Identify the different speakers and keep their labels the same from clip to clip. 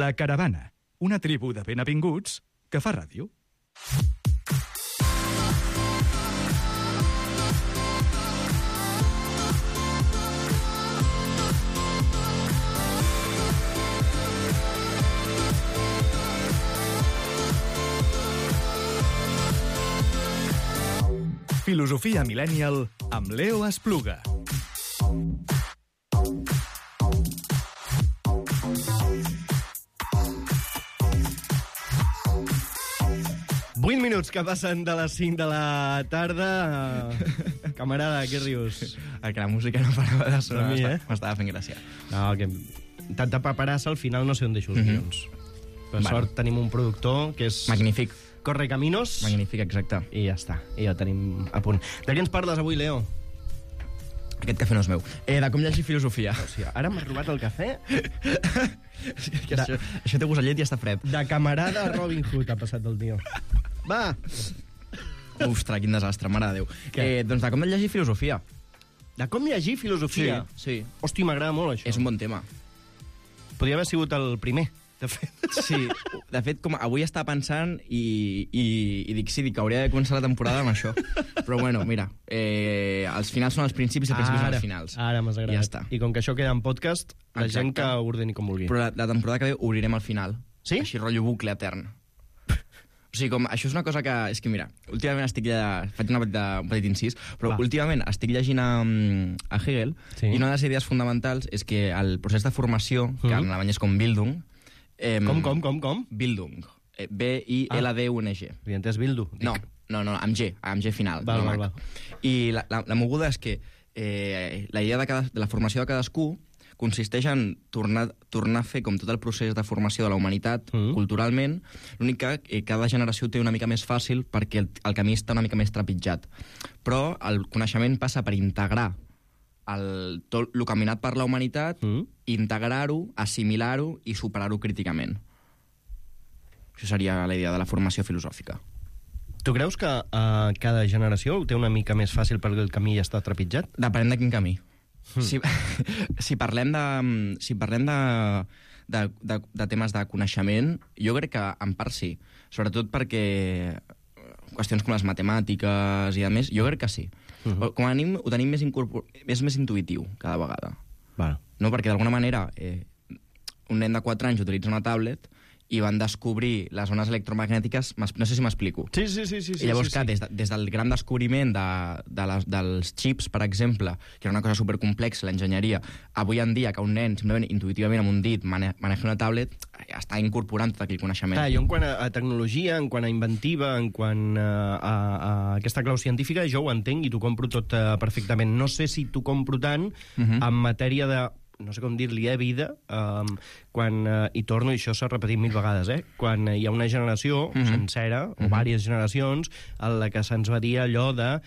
Speaker 1: La Caravana, una tribu de benvinguts que fa ràdio. Filosofia Millennial amb Leo Espluga.
Speaker 2: Vuit minuts que passen de les 5 de la tarda. Camarada, què rius?
Speaker 3: Que la música no parava de sonar,
Speaker 2: m'estava
Speaker 3: fent gràcia.
Speaker 2: No, que tanta paperassa, al final no sé on deixo els guions. Per sort tenim un productor que és...
Speaker 3: Magnífic.
Speaker 2: Corre caminos.
Speaker 3: Magnífic, exacte.
Speaker 2: I ja està, i ja ho tenim a punt. De què ens parles avui, Leo?
Speaker 3: Aquest cafè no és meu. De com llegir filosofia.
Speaker 2: O sigui, ara m'has robat el cafè?
Speaker 3: Això té gust a llet i està fred.
Speaker 2: De camarada a Robin Hood ha passat el tio. Va!
Speaker 3: Ostres, quin desastre, mare de Déu. Doncs de com llegir filosofia.
Speaker 2: De com llegir filosofia?
Speaker 3: Sí.
Speaker 2: Hòstia, m'agrada molt, això.
Speaker 3: És un bon tema.
Speaker 2: Podria haver sigut el primer, de fet.
Speaker 3: Sí, de fet, com avui estava pensant i dic que hauria de començar la temporada amb això. Però bueno, mira, els finals són els principis i els principis són els finals.
Speaker 2: Ara m'has agradat.
Speaker 3: Ja està.
Speaker 2: I com que això queda en podcast, la gent que ho ordeni com vulgui.
Speaker 3: Però la temporada que ve obrirem al final.
Speaker 2: Sí?
Speaker 3: Així, rotllo bucle etern. O sigui, això és una cosa que... És que, mira, últimament estic faig un petit incís, però últimament estic llegint a Hegel, i una de les idees fonamentals és que el procés de formació, que en alemany és com Bildung...
Speaker 2: Com?
Speaker 3: Bildung. B-I-L-D-U-N-G.
Speaker 2: Havia entès Bildu.
Speaker 3: No, amb G final.
Speaker 2: Val.
Speaker 3: I la moguda és que la idea de la formació de cadascú consisteix en tornar a fer com tot el procés de formació de la humanitat culturalment, l'únic que cada generació té una mica més fàcil perquè el camí està una mica més trepitjat. Però el coneixement passa per integrar tot el caminat per la humanitat, integrar-ho, assimilar-ho i superar-ho críticament. Això seria la idea de la formació filosòfica.
Speaker 2: Tu creus que cada generació ho té una mica més fàcil perquè el camí ja està trepitjat?
Speaker 3: Depenent de quin camí. Si parlem de temes de coneixement, jo crec que en part sí. Sobretot perquè qüestions com les matemàtiques i a més, jo crec que sí. Com a mínim ho tenim més intuïtiu cada vegada. No? Perquè d'alguna manera un nen de 4 anys utilitza una tablet i van descobrir les ones electromagnètiques, no sé si m'explico.
Speaker 2: Sí.
Speaker 3: I llavors, clar, des del gran descobriment dels xips, per exemple, que era una cosa supercomplexa, l'enginyeria, avui en dia que un nen, simplement intuïtivament amb un dit, maneja una tablet, està incorporant tot aquell coneixement.
Speaker 2: Clar, jo en quant a tecnologia, en quant a inventiva, en quant a aquesta clau científica, jo ho entenc i t'ho compro tot perfectament. No sé si t'ho compro tant en matèria de... no sé com dir-li, vida, quan, i torno, i això s'ha repetit 1000 vegades, quan hi ha una generació sencera, o diverses generacions, en la que se'ns va dir allò de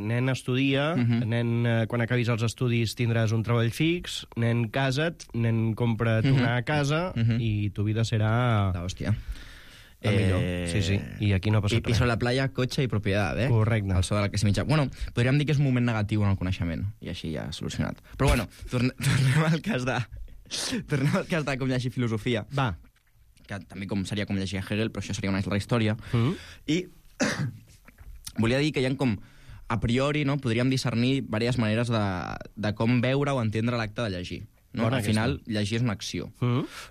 Speaker 2: nen, estudia, nen, quan acabis els estudis tindràs un treball fix, nen, casa't, nen, compra't una casa, i tu vida serà...
Speaker 3: Hòstia.
Speaker 2: La millor. Sí. I aquí no ha passat res.
Speaker 3: Piso a la playa, cotxe i propietat,
Speaker 2: Correcte.
Speaker 3: El so de la classe mitjà. Bueno, podríem dir que és un moment negatiu en el coneixement, i així ja solucionat. Però bueno, tornem al cas de com llegir filosofia.
Speaker 2: Va.
Speaker 3: Que també seria com llegir Hegel, però això seria una altra història. I volia dir que hi ha com, a priori, no, podríem discernir diverses maneres de com veure o entendre l'acte de llegir. No? Al final, llegir és una acció.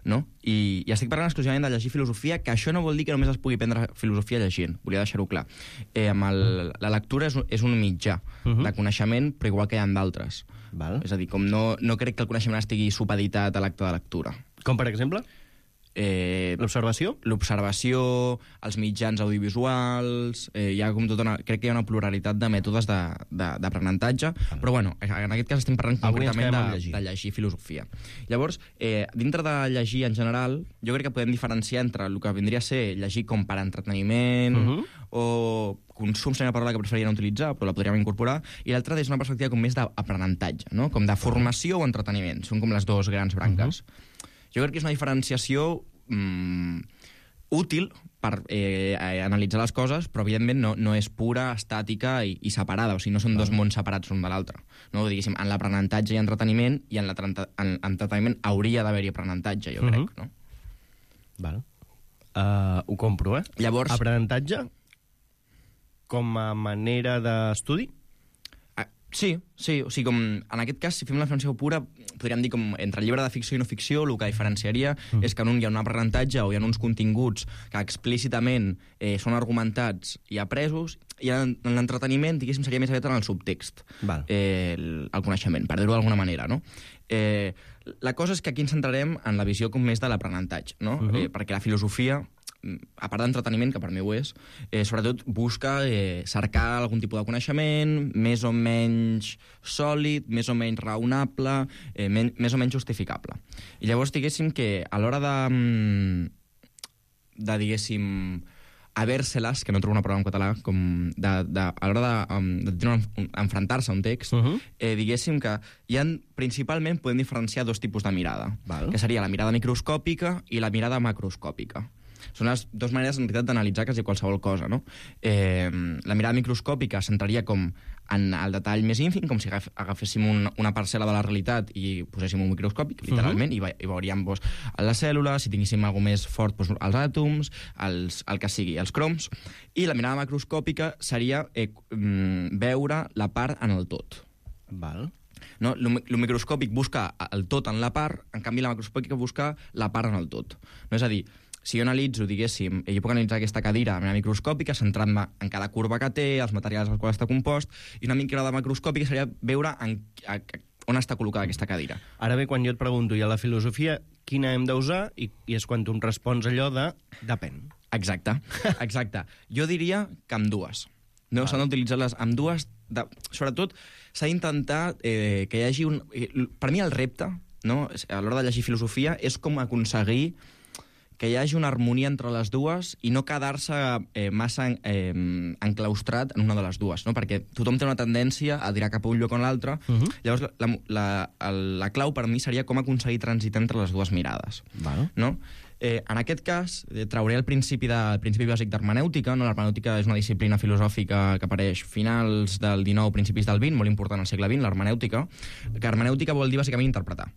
Speaker 3: No? I estic parlant exclusivament de llegir filosofia, que això no vol dir que només es pugui prendre filosofia llegint. Volia deixar-ho clar. La lectura és un mitjà de coneixement, però igual que hi ha d'altres. És a dir, com no crec que el coneixement estigui supeditat a l'acte de lectura.
Speaker 2: Com, per exemple? L'observació?
Speaker 3: L'observació, els mitjans audiovisuals, hi ha com crec que hi ha una pluralitat de mètodes d'aprenentatge, però bueno, en aquest cas estem parlant concretament de llegir filosofia. Llavors, dintre de llegir en general, jo crec que podem diferenciar entre el que vindria a ser llegir com per entreteniment o consum, seria una paraula que preferiria no utilitzar, però la podríem incorporar, i l'altra és una perspectiva com més d'aprenentatge, no? Com de formació o entreteniment. Són com les dues grans branques. Jo crec que és una diferenciació útil per analitzar les coses, però evidentment no és pura, estàtica i separada, o sigui, no són dos mons separats l'un de l'altre. No? Diguéssim, en l'aprenentatge hi ha entreteniment, i en l'entreteniment hauria d'haver-hi aprenentatge, jo crec, no?
Speaker 2: Val. Ho compro, eh?
Speaker 3: Llavors...
Speaker 2: Aprenentatge com a manera d'estudi?
Speaker 3: Sí, o sigui, com en aquest cas, si fem la definició pura, podríem dir com entre llibre de ficció i no ficció, el que diferenciaria és que en un hi ha un aprenentatge o hi ha uns continguts que explícitament són argumentats i apresos, i en l'entreteniment, diguéssim, seria més aviat en el subtext, el coneixement, per dir-ho d'alguna manera, no? La cosa és que aquí ens centrarem en la visió com més de l'aprenentatge, no? Perquè la filosofia, a part d'entreteniment, que per mi ho és, sobretot busca cercar algun tipus de coneixement més o menys sòlid, més o menys raonable, més o menys justificable. I llavors, diguéssim que a l'hora de diguéssim, habérselas, que no trobo una paraula en català, com a l'hora d'enfrontar-se a un text, diguéssim que hi ha, principalment, podem diferenciar dos tipus de mirada, que seria la mirada microscòpica i la mirada macroscòpica. Són les dues maneres, en realitat, d'analitzar quasi qualsevol cosa, no? La mirada microscòpica s'entraria com en el detall més ínfim, com si agaféssim una parcel·la de la realitat i poséssim un microscòpic, literalment, i veuríem les cèl·lules, si tinguéssim alguna més fort, els àtoms, el que sigui, els croms. I la mirada macroscòpica seria veure la part en el tot.
Speaker 2: Val.
Speaker 3: No? Lo microscòpic busca el tot en la part, en canvi la macroscòpica busca la part en el tot. No? És a dir, si jo analitzo, diguéssim, jo puc analitzar aquesta cadira de manera microscòpica, centrant-me en cada curva que té, els materials als quals està compost, i una mirada macroscòpica seria veure on està col·locada aquesta cadira.
Speaker 2: Ara bé, quan jo et pregunto, i a la filosofia, quina hem d'usar? I és quan tu em respons allò de depèn.
Speaker 3: Exacte. Jo diria que ambdues. No? S'han d'utilitzar-les ambdues. Sobretot, s'ha d'intentar que hi hagi un... Per mi el repte, no? A l'hora de llegir filosofia, és com aconseguir que hi hagi una harmonia entre les dues i no quedar-se massa enclaustrat en una de les dues, no? Perquè tothom té una tendència a tirar cap a un lloc o a l'altre. Llavors, la clau per mi seria com aconseguir transitar entre les dues mirades. No? En aquest cas, trauré el principi bàsic d'hermenèutica. No? L'hermenèutica és una disciplina filosòfica que apareix finals del XIX, principis del XX, molt important al segle XX, l'hermenèutica. Que hermenèutica vol dir bàsicament interpretar,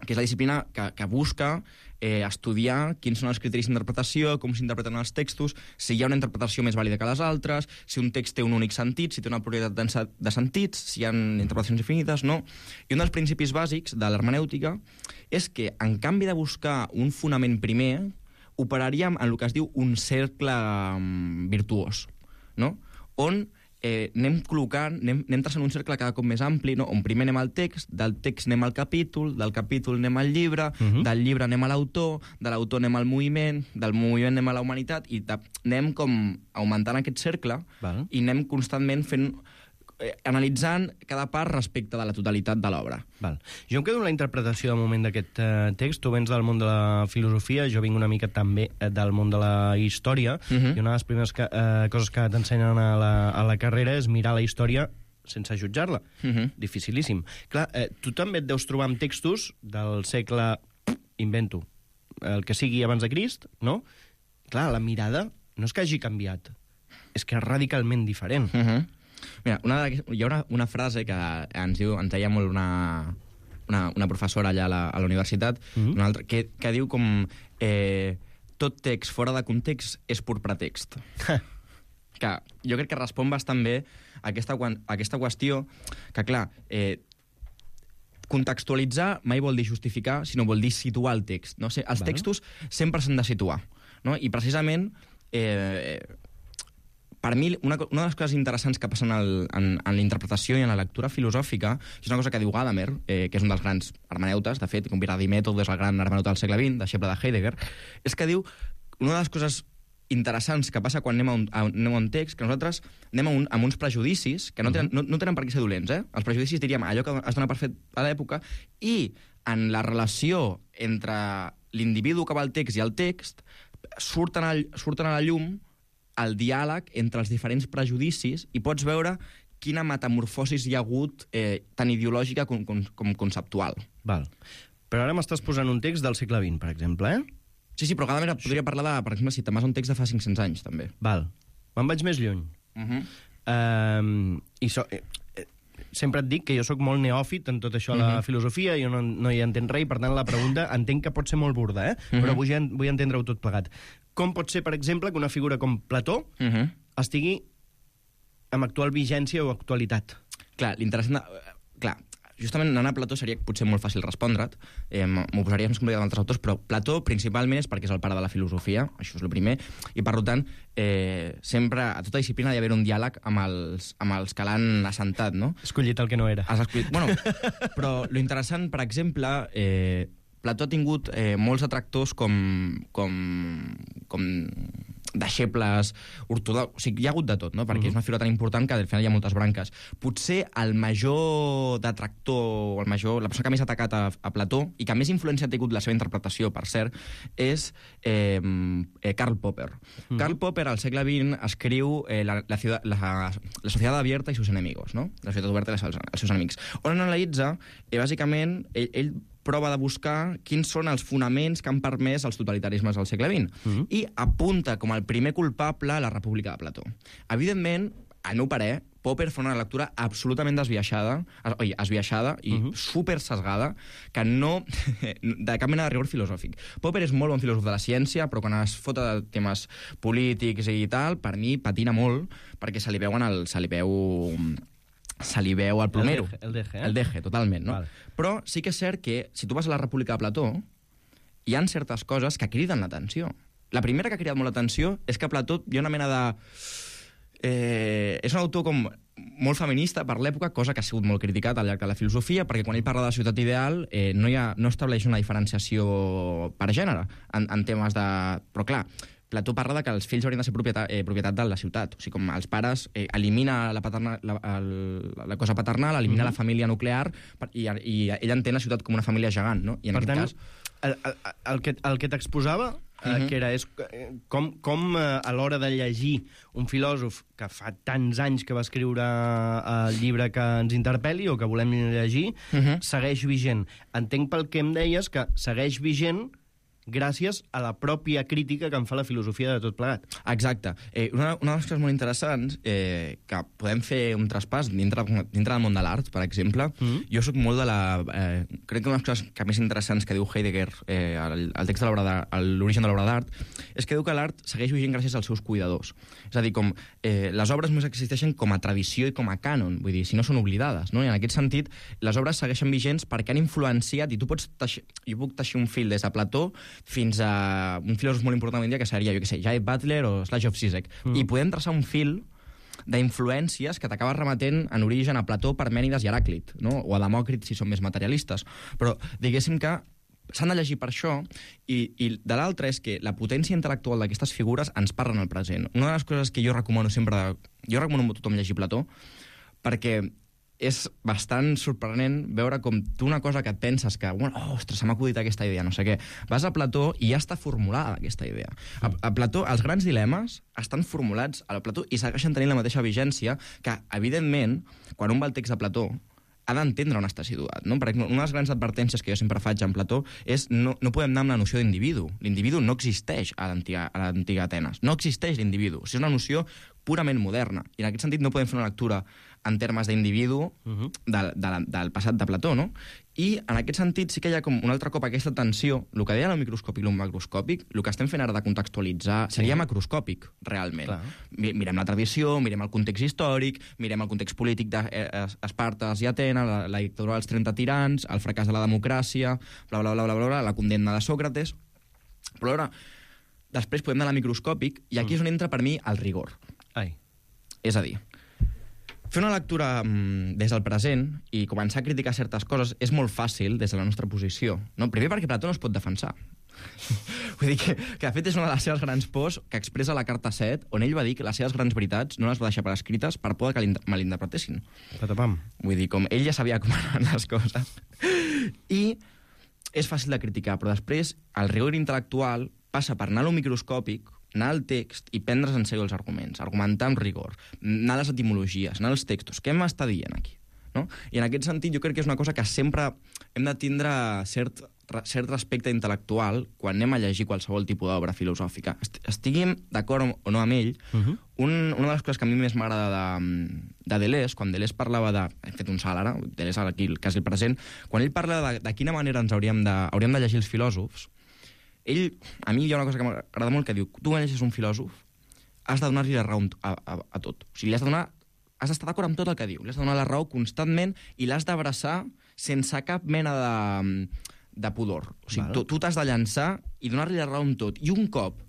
Speaker 3: que és la disciplina que busca estudiar quins són els criteris d'interpretació, com s'interpreten els textos, si hi ha una interpretació més vàlida que les altres, si un text té un únic sentit, si té una pluralitat de sentits, si hi ha interpretacions infinites, no. I un dels principis bàsics de l'hermenèutica és que, en canvi de buscar un fonament primer, operaríem en el que es diu un cercle virtuós, no? On anem col·locant, anem traçant un cercle cada cop més ampli, no? On primer anem al text, del text anem al capítol, del capítol anem al llibre, del llibre anem a l'autor, de l'autor anem al moviment, del moviment anem a la humanitat, i anem com augmentant aquest cercle i anem constantment analitzant cada part respecte de la totalitat de l'obra.
Speaker 2: Jo em quedo amb la interpretació de moment d'aquest text. Tu vens del món de la filosofia, jo vinc una mica també del món de la història, i una de les primeres coses que t'ensenyen a la carrera és mirar la història sense jutjar-la. Dificilíssim. Clar, tu també et deus trobar amb textos del segle, invento, el que sigui abans de Crist, no? Clar, la mirada no és que hagi canviat, és que és radicalment diferent.
Speaker 3: Mira, hi ha una frase que ens deia molt una professora allà a la universitat, una altra, que diu com tot text fora de context és pur pretext. Que jo crec que respon bastant bé a aquesta qüestió que, clar, contextualitzar mai vol dir justificar, sinó vol dir situar el text. No? Els textos sempre s'han de situar. No? I precisament per mi, una de les coses interessants que passen en la interpretació i en la lectura filosòfica, és una cosa que diu Gadamer, que és un dels grans hermeneutes, de fet, com Viradí-Mètode és el gran hermeneuta del segle XX, deixeble de Heidegger, és que diu una de les coses interessants que passa quan anem a un text, que nosaltres anem amb uns prejudicis que no tenen per què ser dolents. Els prejudicis, diríem, allò que es dona per fet a l'època, i en la relació entre l'individu que va al text i el text surten a la llum el diàleg entre els diferents prejudicis i pots veure quina metamorfosis hi ha hagut tant ideològica com conceptual.
Speaker 2: Però ara m'estàs posant un text del segle XX, per exemple,
Speaker 3: Sí, però Gadamer podria parlar de, per exemple, si te'n vas a un text de fa 500 anys, també.
Speaker 2: Me'n vaig més lluny. sempre et dic que jo sóc molt neòfit en tot això, la filosofia, jo no hi entenc res, i per tant la pregunta entenc que pot ser molt burda, però vull entendre-ho tot plegat. Com pot ser, per exemple, que una figura com Plató estigui amb actual vigència o actualitat?
Speaker 3: Clar, l'interessant... Clar, justament anant a Plató seria potser molt fàcil respondre't, m'ho posaria més complicat amb altres autors, però Plató principalment és perquè és el pare de la filosofia, això és el primer, i per tant sempre a tota disciplina ha d'haver un diàleg amb els que l'han assentat, no?
Speaker 2: Escollit el que no era.
Speaker 3: Has escollit... Bueno, però lo interessant, per exemple, Plató ha tingut molts detractors com deixebles ortodoxos, o sigui, hi ha hagut de tot, no? Perquè és una figura tan important que al final hi ha moltes branques. Potser el major detractor, la persona que més ha atacat a Plató i que més influència ha tingut la seva interpretació, per cert, és Karl Popper. Karl Popper, al segle XX, escriu la societat abierta i sus enemigos, no? La societat oberta i els seus enemics. On analitza, bàsicament, ell prova de buscar quins són els fonaments que han permès els totalitarismes del segle XX i apunta com el primer culpable la República de Plató. Evidentment, al meu parer, Popper fa una lectura absolutament esbiaixada i super sesgada, que no de cap mena de rigor filosòfic. Popper és molt bon filòsof de la ciència, però quan es fota de temes polítics i tal, per mi patina molt, perquè se li veu el plomero. El deje, totalment, no? Vale. Però sí que és cert que, si tu vas a la República de Plató, hi han certes coses que criden l'atenció. La primera que ha cridat molt l'atenció és que Plató hi ha una mena de... és un autor com molt feminista per l'època, cosa que ha sigut molt criticat al llarg de la filosofia, perquè quan ell parla de la ciutat ideal no estableix una diferenciació per gènere en temes de... Però clar, Plató parla de que els fills haurien de ser propietat de la ciutat. O sigui, com els pares elimina la cosa paternal, elimina la família nuclear i ell entén la ciutat com una família gegant, no? I en aquest cas...
Speaker 2: El que t'exposava, que era com a l'hora de llegir un filòsof que fa tants anys que va escriure el llibre que ens interpel·li o que volem llegir, segueix vigent. Entenc pel que em deies que segueix vigent gràcies a la pròpia crítica que en fa la filosofia de tot plegat.
Speaker 3: Exacte. Una de les coses molt interessants, que podem fer un traspàs dintre del món de l'art, per exemple, jo soc molt de la... crec que una de les coses que més interessants que diu Heidegger, el text de l'origen de l'obra d'art, és que diu que l'art segueix vigent gràcies als seus cuidadors. És a dir, com les obres només existeixen com a tradició i com a cànon, vull dir, si no són oblidades, no? I en aquest sentit, les obres segueixen vigents perquè han influenciat, i tu pots teixir, jo puc teixir un fil des de Plató fins a un filòsof molt important avui en dia, que seria, jo què sé, Jay Butler o Slavoj Žižek. I podem traçar un fil d'influències que t'acabes remetent en origen a Plató, Parmènides i Heràclit, no? O a Demòcrit, si són més materialistes. Però diguéssim que s'han de llegir per això, i de l'altre és que la potència intel·lectual d'aquestes figures ens parlen al present. Una de les coses que jo recomano sempre... Jo recomano a tothom llegir Plató, perquè és bastant sorprenent veure com tu una cosa que et penses que, ostres, se m'ha acudit aquesta idea, no sé què. Vas a Plató i ja està formulada aquesta idea. A Plató, els grans dilemes estan formulats a Plató i segueixen tenint la mateixa vigència que, evidentment, quan un va al text de Plató, ha d'entendre on està situat, no? Perquè una de les grans advertències que jo sempre faig en Plató és no podem anar amb la noció d'individu. L'individu no existeix a l'antiga Atenes. No existeix l'individu. És una noció purament moderna. I en aquest sentit no podem fer una lectura en termes d'individu del passat de Plató, no? I en aquest sentit sí que hi ha com un altre cop aquesta tensió, el que deia el microscòpic i el macroscòpic, el que estem fent ara de contextualitzar seria macroscòpic, realment. Mirem la tradició, mirem el context històric, mirem el context polític d'Espartes i Atenes, la dictadura dels 30 tirans, el fracàs de la democràcia, bla, bla, bla, bla, bla, la condemna de Sòcrates. Però ara, després podem anar a microscòpic, i aquí és on entra per mi el rigor. És a dir, fer una lectura des del present i començar a criticar certes coses és molt fàcil des de la nostra posició. No? Primer perquè Plató no es pot defensar. Vull dir que de fet és una de les seves grans pors que expressa la carta 7, on ell va dir que les seves grans veritats no les va deixar per escrites per por que malinterpretessin.
Speaker 2: Patapam.
Speaker 3: Vull dir, com ell ja sabia com anaven les coses. I és fàcil de criticar, però després el rigor intel·lectual passa per anar a lo microscòpic, anar al text i prendre's en sèrio els arguments, argumentar amb rigor, anar a les etimologies, anar als textos. Què m'està dient aquí? no? I en aquest sentit jo crec que és una cosa que sempre hem de tindre cert respecte intel·lectual quan anem a llegir qualsevol tipus d'obra filosòfica. Estiguem d'acord o no amb ell, una de les coses que a mi més m'agrada de Deleuze, quan Deleuze parlava de... He fet un salt ara, Deleuze aquí quasi el present, quan ell parla de quina manera ens hauríem de llegir els filòsofs, a mi hi ha una cosa que m'agrada molt que diu, tu quan llegis un filòsof has de donar-li la raó a tot. O sigui, has d'estar d'acord amb tot el que diu, li has de donar la raó constantment i l'has d'abraçar sense cap mena de pudor. O sigui, tu t'has de llançar i donar-li la raó en tot. I un cop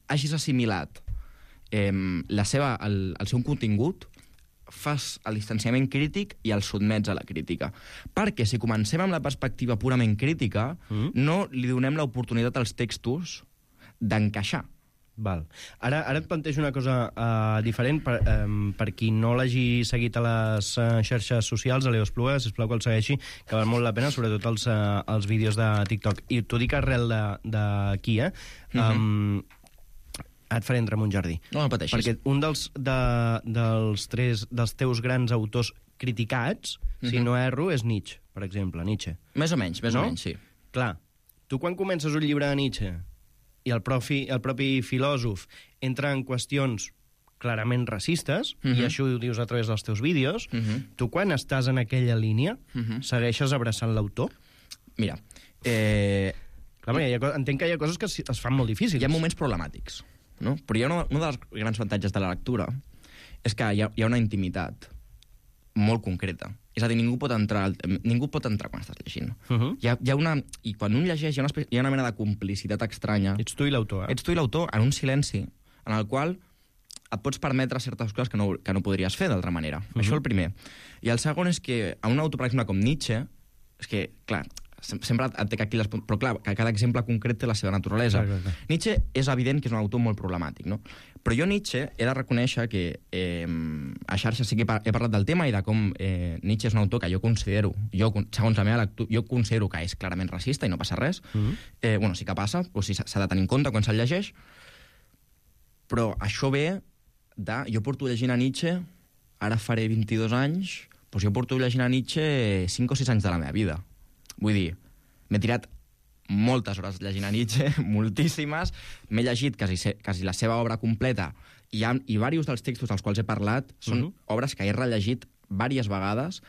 Speaker 3: hagis assimilat el seu contingut, fas el distanciament crític i el sotmets a la crítica. Perquè si comencem amb la perspectiva purament crítica, no li donem l'oportunitat als textos d'encaixar.
Speaker 2: Val. Ara et plantejo una cosa diferent. Per qui no l'hagi seguit a les xarxes socials, a l'Eos Pluga, sisplau que el segueixi, que val molt la pena, sobretot els vídeos de TikTok. I t'ho dic arrel d'aquí, et faré entrar en un jardí.
Speaker 3: No pateixis.
Speaker 2: Perquè un dels teus grans autors criticats, si no erro, és Nietzsche, per exemple. Nietzsche.
Speaker 3: Més o menys, sí.
Speaker 2: Clar, tu quan comences un llibre de Nietzsche i el propi filòsof entra en qüestions clarament racistes, i això ho dius a través dels teus vídeos, tu quan estàs en aquella línia segueixes abraçant l'autor?
Speaker 3: Mira,
Speaker 2: entenc que hi ha coses que es fan molt difícils.
Speaker 3: Hi ha moments problemàtics, no? Però hi ha un dels grans avantatges de la lectura és que hi ha una intimitat molt concreta. És a dir, ningú pot entrar quan estàs llegint. Hi ha una... I quan un llegeix hi ha una mena de complicitat estranya.
Speaker 2: Ets tu i l'autor,
Speaker 3: Ets tu i l'autor en un silenci en el qual et pots permetre certes coses que no podries fer d'altra manera. Això el primer. I el segon és que a un autor, per exemple, com Nietzsche, és que, clar, sempre et té aquí però clar, que cada exemple concret té la seva naturalesa. Clar. Nietzsche és evident que és un autor molt problemàtic, no? Però jo Nietzsche he de reconèixer que a xarxes sí que he parlat del tema i de com Nietzsche és un autor que jo considero, segons la meva lectura, jo considero que és clarament racista i no passa res. Bueno, sí que passa, o sigui, s'ha de tenir en compte quan se'l llegeix, però això ve de... Jo porto llegint a Nietzsche, ara faré 22 anys, doncs jo porto llegint a Nietzsche 5 o 6 anys de la meva vida. Vull dir, m'he tirat moltes hores llegint a Nietzsche, moltíssimes, m'he llegit quasi la seva obra completa, i diversos dels textos dels quals he parlat són obres que he rellegit diverses vegades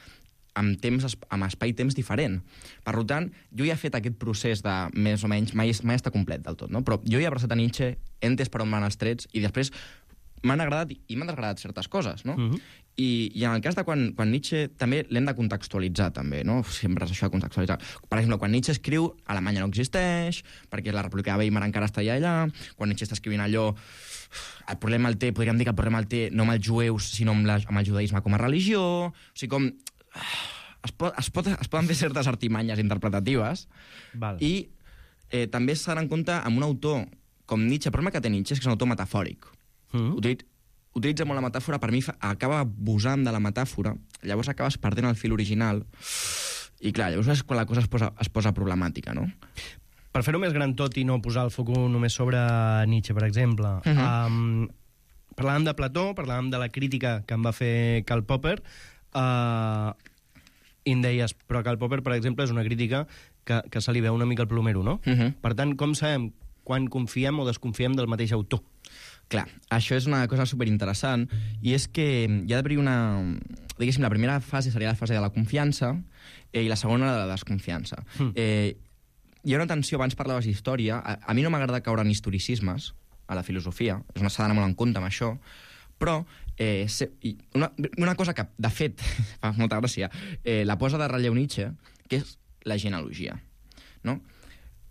Speaker 3: amb espai-temps diferent. Per tant, jo ja he fet aquest procés de, més o menys, mai està complet del tot, no? Però jo ja he abraçat a Nietzsche, he entès per on van els trets, i després m'han agradat i m'han desagradat certes coses, no? I en el cas de quan Nietzsche també l'hem de contextualitzar, també, no? Sempre és això de contextualitzar. Per exemple, quan Nietzsche escriu, Alemanya no existeix, perquè la República de Weimar encara està allà, quan Nietzsche està escrivint allò, el problema el té, podríem dir que el problema el té no amb els jueus, sinó amb el judaïsme com a religió, o sigui, com... Es poden fer certes artimanyes interpretatives.
Speaker 2: Val.
Speaker 3: I també s'ha d'anar en compte amb un autor com Nietzsche. El problema que té Nietzsche és que és un autor metafòric. Utilitza molt la metàfora, per mi acaba abusant de la metàfora, llavors acabes perdent el fil original, i clar, llavors és quan la cosa es posa problemàtica, no?
Speaker 2: Per fer-ho més gran tot i no posar el focus només sobre Nietzsche, per exemple, parlàvem de Plató, parlàvem de la crítica que en va fer Karl Popper, i em deies, però Karl Popper, per exemple, és una crítica que se li veu una mica el plomero, no? Per tant, com sabem quan confiem o desconfiem del mateix autor?
Speaker 3: Clar, això és una cosa superinteressant, i és que hi ha d'haver una... Diguéssim, la primera fase seria la fase de la confiança i la segona de la desconfiança. Hi ha una tensió, abans parlaves d'història, a mi no m'agrada caure en historicismes a la filosofia, s'ha d'anar molt en compte amb això, però una cosa que, de fet, fa molta gràcia, la posa de relleu Nietzsche, que és la genealogia, no?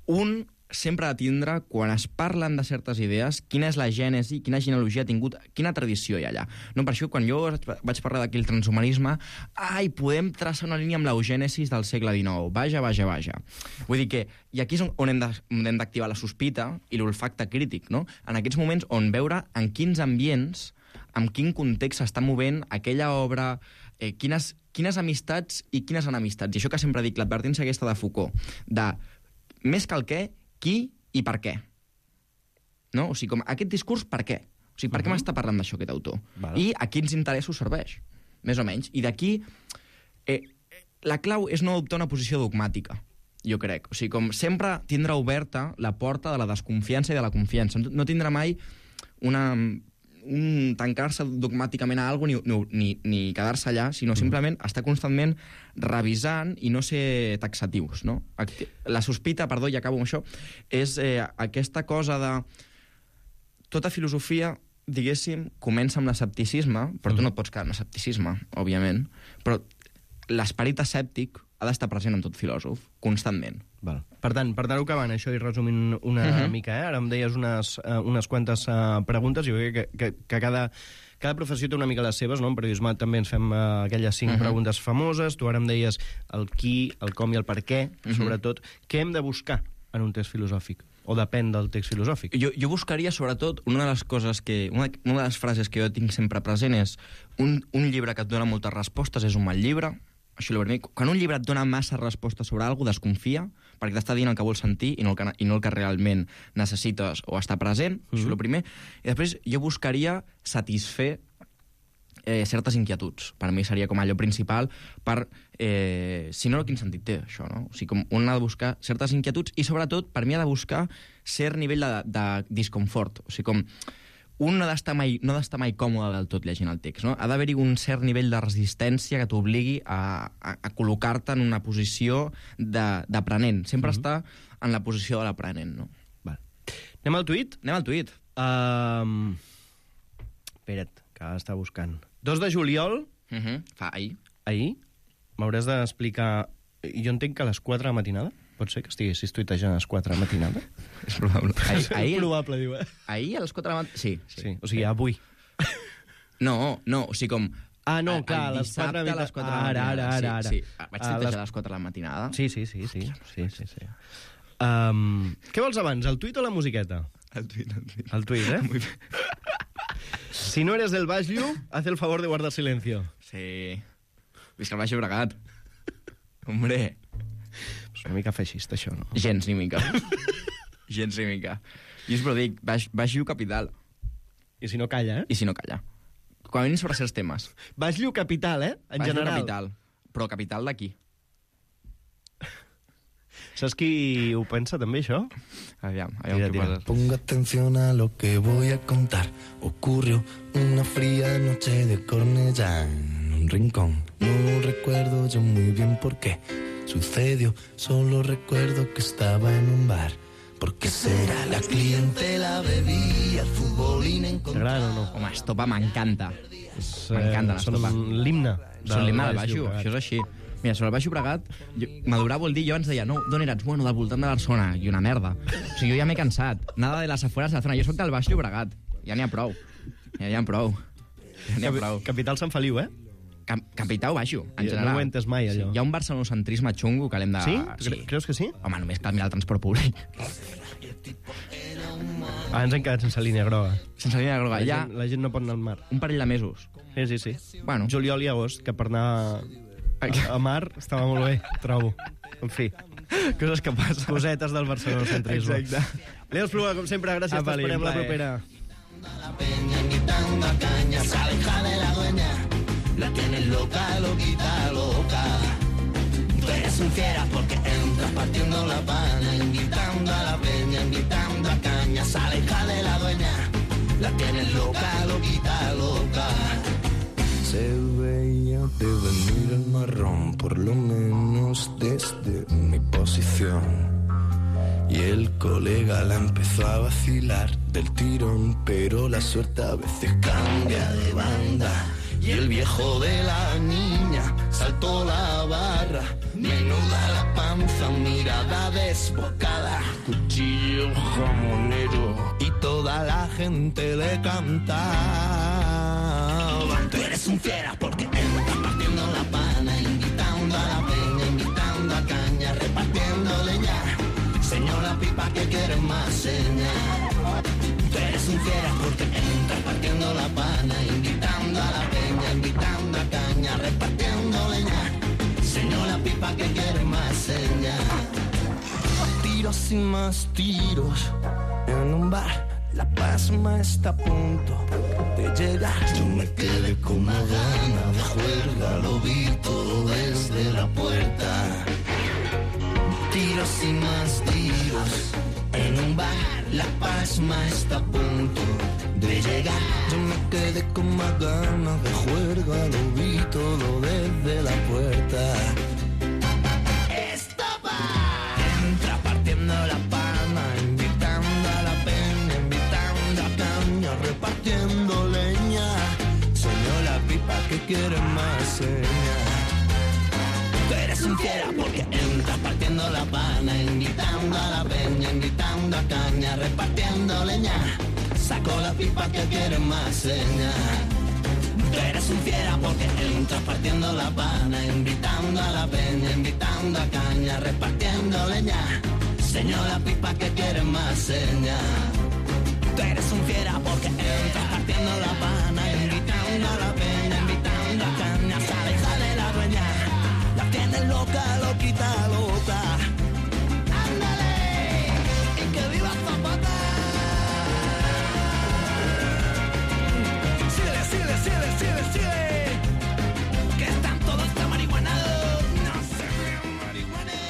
Speaker 3: Un sempre ha de tindre, quan es parlen de certes idees, quina és la gènesi, quina genealogia ha tingut, quina tradició hi ha allà. No, per això, quan jo vaig parlar d'aquí el transhumanisme, podem traçar una línia amb l'eugènesis del segle XIX. Vaja. Vull dir que, i aquí és on hem d'activar la sospita i l'olfacte crític, no? En aquests moments on veure en quins ambients, en quin context s'està movent aquella obra, quines amistats i quines enemistats. I això que sempre dic, l'advertència aquesta de Foucault, de més que el què, qui i per què. No? O sigui, com aquest discurs, per què? O sigui, per què m'està parlant d'això aquest autor? I a quins interessos serveix, més o menys. I d'aquí la clau és no adoptar una posició dogmàtica, jo crec. O sigui, com sempre tindrà oberta la porta de la desconfiança i de la confiança. No tindrà mai tancar-se dogmàticament a alguna cosa ni quedar-se allà, sinó simplement estar constantment revisant i no ser taxatius, no? La sospita, perdó, i acabo amb això, és aquesta cosa de... Tota filosofia, diguéssim, comença amb l'escepticisme, però tu no et pots quedar amb l'escepticisme, òbviament, però l'esperit escèptic ha d'estar present en tot filòsof, constantment.
Speaker 2: Val. Per tant, per anar-ho acabant, això i resumint una mica, ara em deies unes quantes preguntes, jo crec que cada professió té una mica les seves, no? En periodisme també ens fem aquelles 5 preguntes famoses, tu ara em deies el qui, el com i el per què, sobretot. Què hem de buscar en un text filosòfic? O depèn del text filosòfic?
Speaker 3: Jo buscaria, sobretot, una de les coses una de les frases que jo tinc sempre present és un llibre que et dona moltes respostes és un mal llibre. Això és el primer. Quan un llibre et dona massa respostes sobre alguna cosa, desconfia, perquè t'està dient el que vols sentir i no el que realment necessites o està present. Això és el primer. I després jo buscaria satisfer certes inquietuds. Per mi seria com allò principal per... si no, quin sentit té, això, no? O sigui, com un ha de buscar certes inquietuds i, sobretot, per mi ha de buscar cert nivell de disconfort. O sigui, com... Un no ha d'estar mai còmode del tot llegint el text, no? Ha d'haver-hi un cert nivell de resistència que t'obligui a col·locar-te en una posició d'aprenent. Sempre estar en la posició de l'aprenent, no?
Speaker 2: Val. Anem al tuit?
Speaker 3: Anem al tuit.
Speaker 2: Espera't, que ara està buscant. 2 de juliol...
Speaker 3: Fa ahir.
Speaker 2: Ahir? M'hauràs d'explicar... Jo entenc que a les 4 de la matinada? Pot ser que estiguessis tuitejant a les 4 de la matinada?
Speaker 3: És probable.
Speaker 2: És probable, diu,
Speaker 3: Ahir a les 4 de la matinada... Sí.
Speaker 2: O sigui, avui.
Speaker 3: No, o sigui, com...
Speaker 2: Ah, no, clar, a les 4 de la matinada. Ara.
Speaker 3: Sí. Vaig tuitejar a les 4 de la matinada.
Speaker 2: Sí. Què vols abans, el tuit o la musiqueta?
Speaker 3: El tuit.
Speaker 2: El tuit,
Speaker 3: Muy bé.
Speaker 2: Si no eres del Baix Llu, haz el favor de guardar silencio.
Speaker 3: Sí. Visca el Baix Llobregat. Hombre.
Speaker 2: És una mica feixista, això, no?
Speaker 3: Gens ni mica. Gens ni mica. Jo us ho dic, Baix Llu capital.
Speaker 2: I si no calla,
Speaker 3: I si no calla. Com a mínim sobre certs temes.
Speaker 2: Baix Llu capital, en
Speaker 3: Baix
Speaker 2: general.
Speaker 3: Llu capital. Però capital d'aquí.
Speaker 2: Saps qui ho pensa, també, això?
Speaker 3: Aviam què poses.
Speaker 4: Ponga atención a lo que voy a contar. Ocurrió una fría noche de Cornellá en un rincón. No recuerdo yo muy bien por qué sucedió. Solo recuerdo que estaba en un bar. ¿Por qué será? La clientela bebía, el futbolín encontró...
Speaker 2: T'agrada o no?
Speaker 3: Home, Estopa m'encanta. M'encanta l'Estopa.
Speaker 2: Són l'himne.
Speaker 3: Són l'himne del Baix Llu, això és així. Mira, sobre el Baix Llobregat, madurar vol dir, jo abans deia, no, d'on eres? Bueno, del voltant de Barcelona, i una merda. O sigui, jo ja m'he cansat. Nada de les afueres de la zona. Jo soc del Baix Llobregat. Ja n'hi ha prou.
Speaker 2: Capital Sant Feliu,
Speaker 3: Capital Baixo, en general.
Speaker 2: No ho he entès mai, allò.
Speaker 3: Hi ha un barcelonocentrisme xungo que l'hem de...
Speaker 2: Sí? Creus que sí?
Speaker 3: Home, només cal mirar el transport públic.
Speaker 2: Ens hem quedat sense línia groga.
Speaker 3: Sense línia groga.
Speaker 2: La gent no pot anar al mar.
Speaker 3: Un parell de mesos.
Speaker 2: Sí.
Speaker 3: Bueno.
Speaker 2: Juliol i agost, que per anar a mar estava molt bé, trobo. En fi.
Speaker 3: Coses que passen.
Speaker 2: Cosetes del barcelonocentrisme.
Speaker 3: Exacte.
Speaker 2: Leo Espluga, com sempre, gràcies. T'esperem la propera.
Speaker 4: La peña invitando a caña, sale hija de la dueña, la tienes loca, loquita, loca. Tú eres un fiera porque entras partiendo la pana, invitando a la peña, invitando a caña, sale hija de la dueña, la tienes loca, loquita, loca. Se veía de venir el marrón, por lo menos desde mi posición. Y el colega la empezó a vacilar del tirón, pero la suerte a veces cambia de banda. Y el viejo de la niña saltó la barra, menuda la panza, mirada desbocada, cuchillo jamonero, y toda la gente le cantaba. Tú eres un fiera porque entras partiendo la pana, invitando a la peña, invitando a caña, repartiendo leña. Señora pipa que quieres más señal. Tú eres un fiera porque entras partiendo la pana, invitando a la peña, invitando a caña, repartiendo leña. Señora pipa que quieres más señal. Tiros y más tiros en un bar. la pasma está a punto de llegar. Yo me quedé con una gana de juerga, lo vi todo desde la puerta. Tiros y más tiros en un bar, la pasma está a punto de llegar. Yo me quedé con más ganas de juerga, lo vi todo desde la puerta. Entra partiendo la palma, invitando a la peña, invitando a caña, repartiendo leña. Soñó la pipa que quiere más seña. Tú eres un fiera porque entras partiendo la pana, invitando a la peña, invitando a caña, repartiendo leña. Saco la pipa que quiere más seña. Tú eres un fiera porque entras partiendo la pana, invitando a la peña, invitando a caña, repartiendo leña. Señor la pipa que quiere más seña. Tú eres un fiera porque entras partiendo la pana, invitando a la peña, invitando a caña, sale la dueña. La tienes loca, loquita, loca. ¡Ándale! ¡Y que viva Zapata! Síguele, que están todos tan marihuanados. No se vean marihuanes.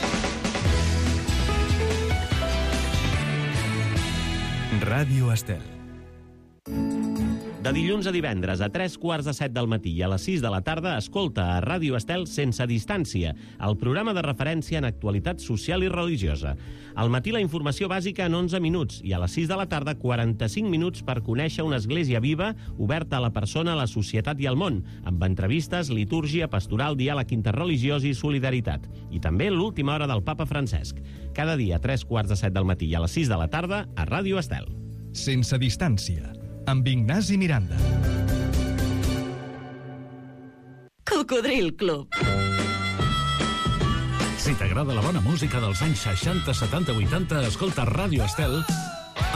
Speaker 1: Ràdio Estel.
Speaker 5: De dilluns a divendres a 3:45 del matí i a les 6 de la tarda escolta a Ràdio Estel Sense Distància, el programa de referència en actualitat social i religiosa. Al matí la informació bàsica en 11 minuts i a les 6 de la tarda 45 minuts per conèixer una església viva oberta a la persona, a la societat i al món, amb entrevistes, litúrgia, pastoral, diàleg interreligiós i solidaritat. I també l'última hora del papa Francesc. Cada dia a 3:45 del matí i a les 6 de la tarda a Ràdio Estel.
Speaker 1: Sense Distància, amb Ignasi Miranda.
Speaker 6: Cocodril Club.
Speaker 7: Si t'agrada la bona música dels anys 60, 70, 80, escolta Ràdio Estel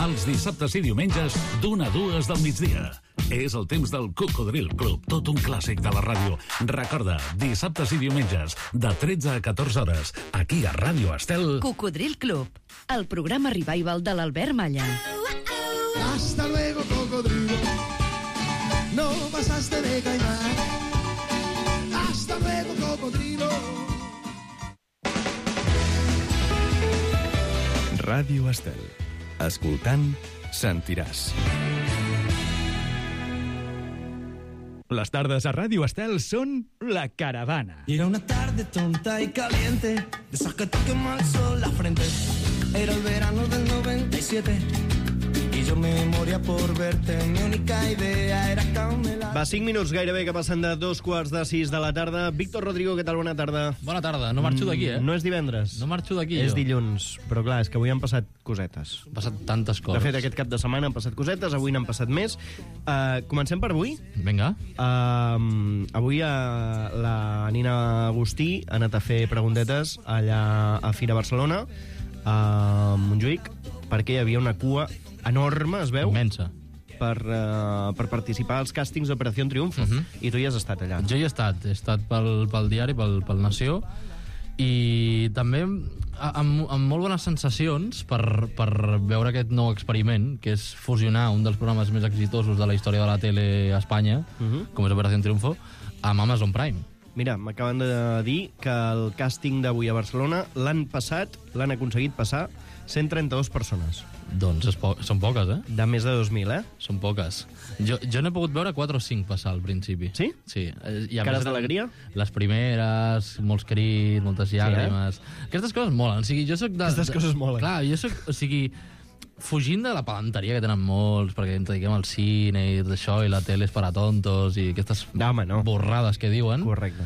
Speaker 7: els dissabtes i diumenges d'1 a 2 del migdia. És el temps del Cocodril Club, tot un clàssic de la ràdio. Recorda, dissabtes i diumenges, de 13 a 14 hores, aquí a Ràdio Estel.
Speaker 6: Cocodril Club, el programa revival de l'Albert Malla.
Speaker 8: Hasta luego, cocodrilo. No pasaste de caimán. Hasta luego, cocodrilo.
Speaker 1: Ràdio Estel. Escoltant, sentiràs. Les tardes a Ràdio Estel són La Caravana.
Speaker 4: Era una tarde tonta y caliente, de esas que te quema el sol la frente. Era el verano del 97 y yo me moría por verte. Mi única idea era camelar.
Speaker 2: Va, 5 minuts gairebé que passen de 2:45 de la tarda. Víctor Rodrigo, què tal? Bona tarda.
Speaker 9: Bona tarda. No marxo d'aquí,
Speaker 2: No és divendres.
Speaker 9: No marxo d'aquí,
Speaker 2: És
Speaker 9: jo.
Speaker 2: dilluns. Però clar, és que avui han passat cosetes.
Speaker 9: Han passat tantes
Speaker 2: De
Speaker 9: coses.
Speaker 2: fet, aquest cap de setmana han passat cosetes, avui n'han passat més. Comencem per avui.
Speaker 9: Vinga.
Speaker 2: Avui la Nina Agustí ha anat a fer preguntetes allà a Fira Barcelona, a Montjuïc, perquè hi havia una cua enorme, es veu,
Speaker 9: Immensa.
Speaker 2: per participar als càstings d'Operació Triunfo. I tu hi has estat allà.
Speaker 9: Jo hi he estat pel diari, pel Nació, i també amb molt bones sensacions per veure aquest nou experiment, que és fusionar un dels programes més exitosos de la història de la tele a Espanya, com és Operació Triunfo, amb Amazon Prime.
Speaker 2: Mira, m'acaben de dir que el càsting d'avui a Barcelona l'han aconseguit passar 132 persones.
Speaker 9: Doncs són poques,
Speaker 2: De més de 2.000,
Speaker 9: Són poques. Jo n'he pogut veure 4 o 5 passar al principi.
Speaker 2: Sí?
Speaker 9: Sí. I a
Speaker 2: Cares
Speaker 9: més,
Speaker 2: d'alegria?
Speaker 9: Les primeres, molts crits, moltes llàgrimes. Aquestes coses molen. O sigui, jo soc
Speaker 2: Aquestes coses molen.
Speaker 9: Clar, jo soc... O sigui, fugint de la pedanteria que tenen molts, perquè ens dediquem al cine i tot això, i la tele és per a tontos, i aquestes borrades que diuen.
Speaker 2: Correcte.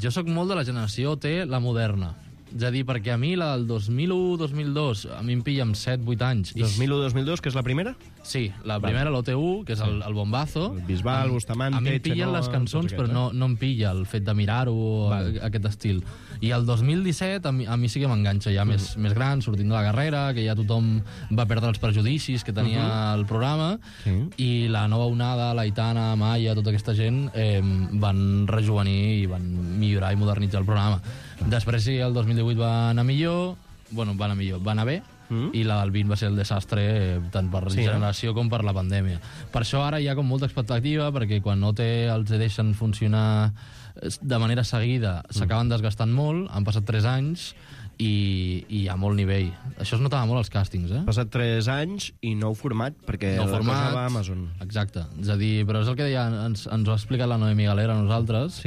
Speaker 9: Jo sóc molt de la generació T, la moderna. És a dir, perquè a mi la del 2001-2002, a mi em pilla amb 7-8 anys.
Speaker 2: 2001-2002, que és la primera?
Speaker 9: Sí, la primera, l'OT1, que és el bombazo.
Speaker 2: El Bisbal, Bustamante,
Speaker 9: A mi em pillen les cançons, però no em pilla el fet de mirar-ho, aquest estil. I el 2017 a mi sí que m'enganxa, ja més gran, sortint de la carrera, que ja tothom va perdre els prejudicis que tenia el programa, i la nova onada, l'Aitana, Maia, tota aquesta gent, van rejuvenir i van millorar i modernitzar el programa. Després sí, el 2018 va anar millor, va anar bé, i la del 20 va ser el desastre tant per generació com per la pandèmia. Per això ara hi ha com molta expectativa, perquè quan no els deixen funcionar de manera seguida s'acaben desgastant molt, han passat 3 anys i hi ha molt nivell. Això es notava molt als càstings,
Speaker 2: Ha passat 3 anys i nou format, perquè la cosa va a Amazon.
Speaker 9: Exacte. És a dir, però és el que deia, ens ho ha explicat la Noemi Galera a nosaltres,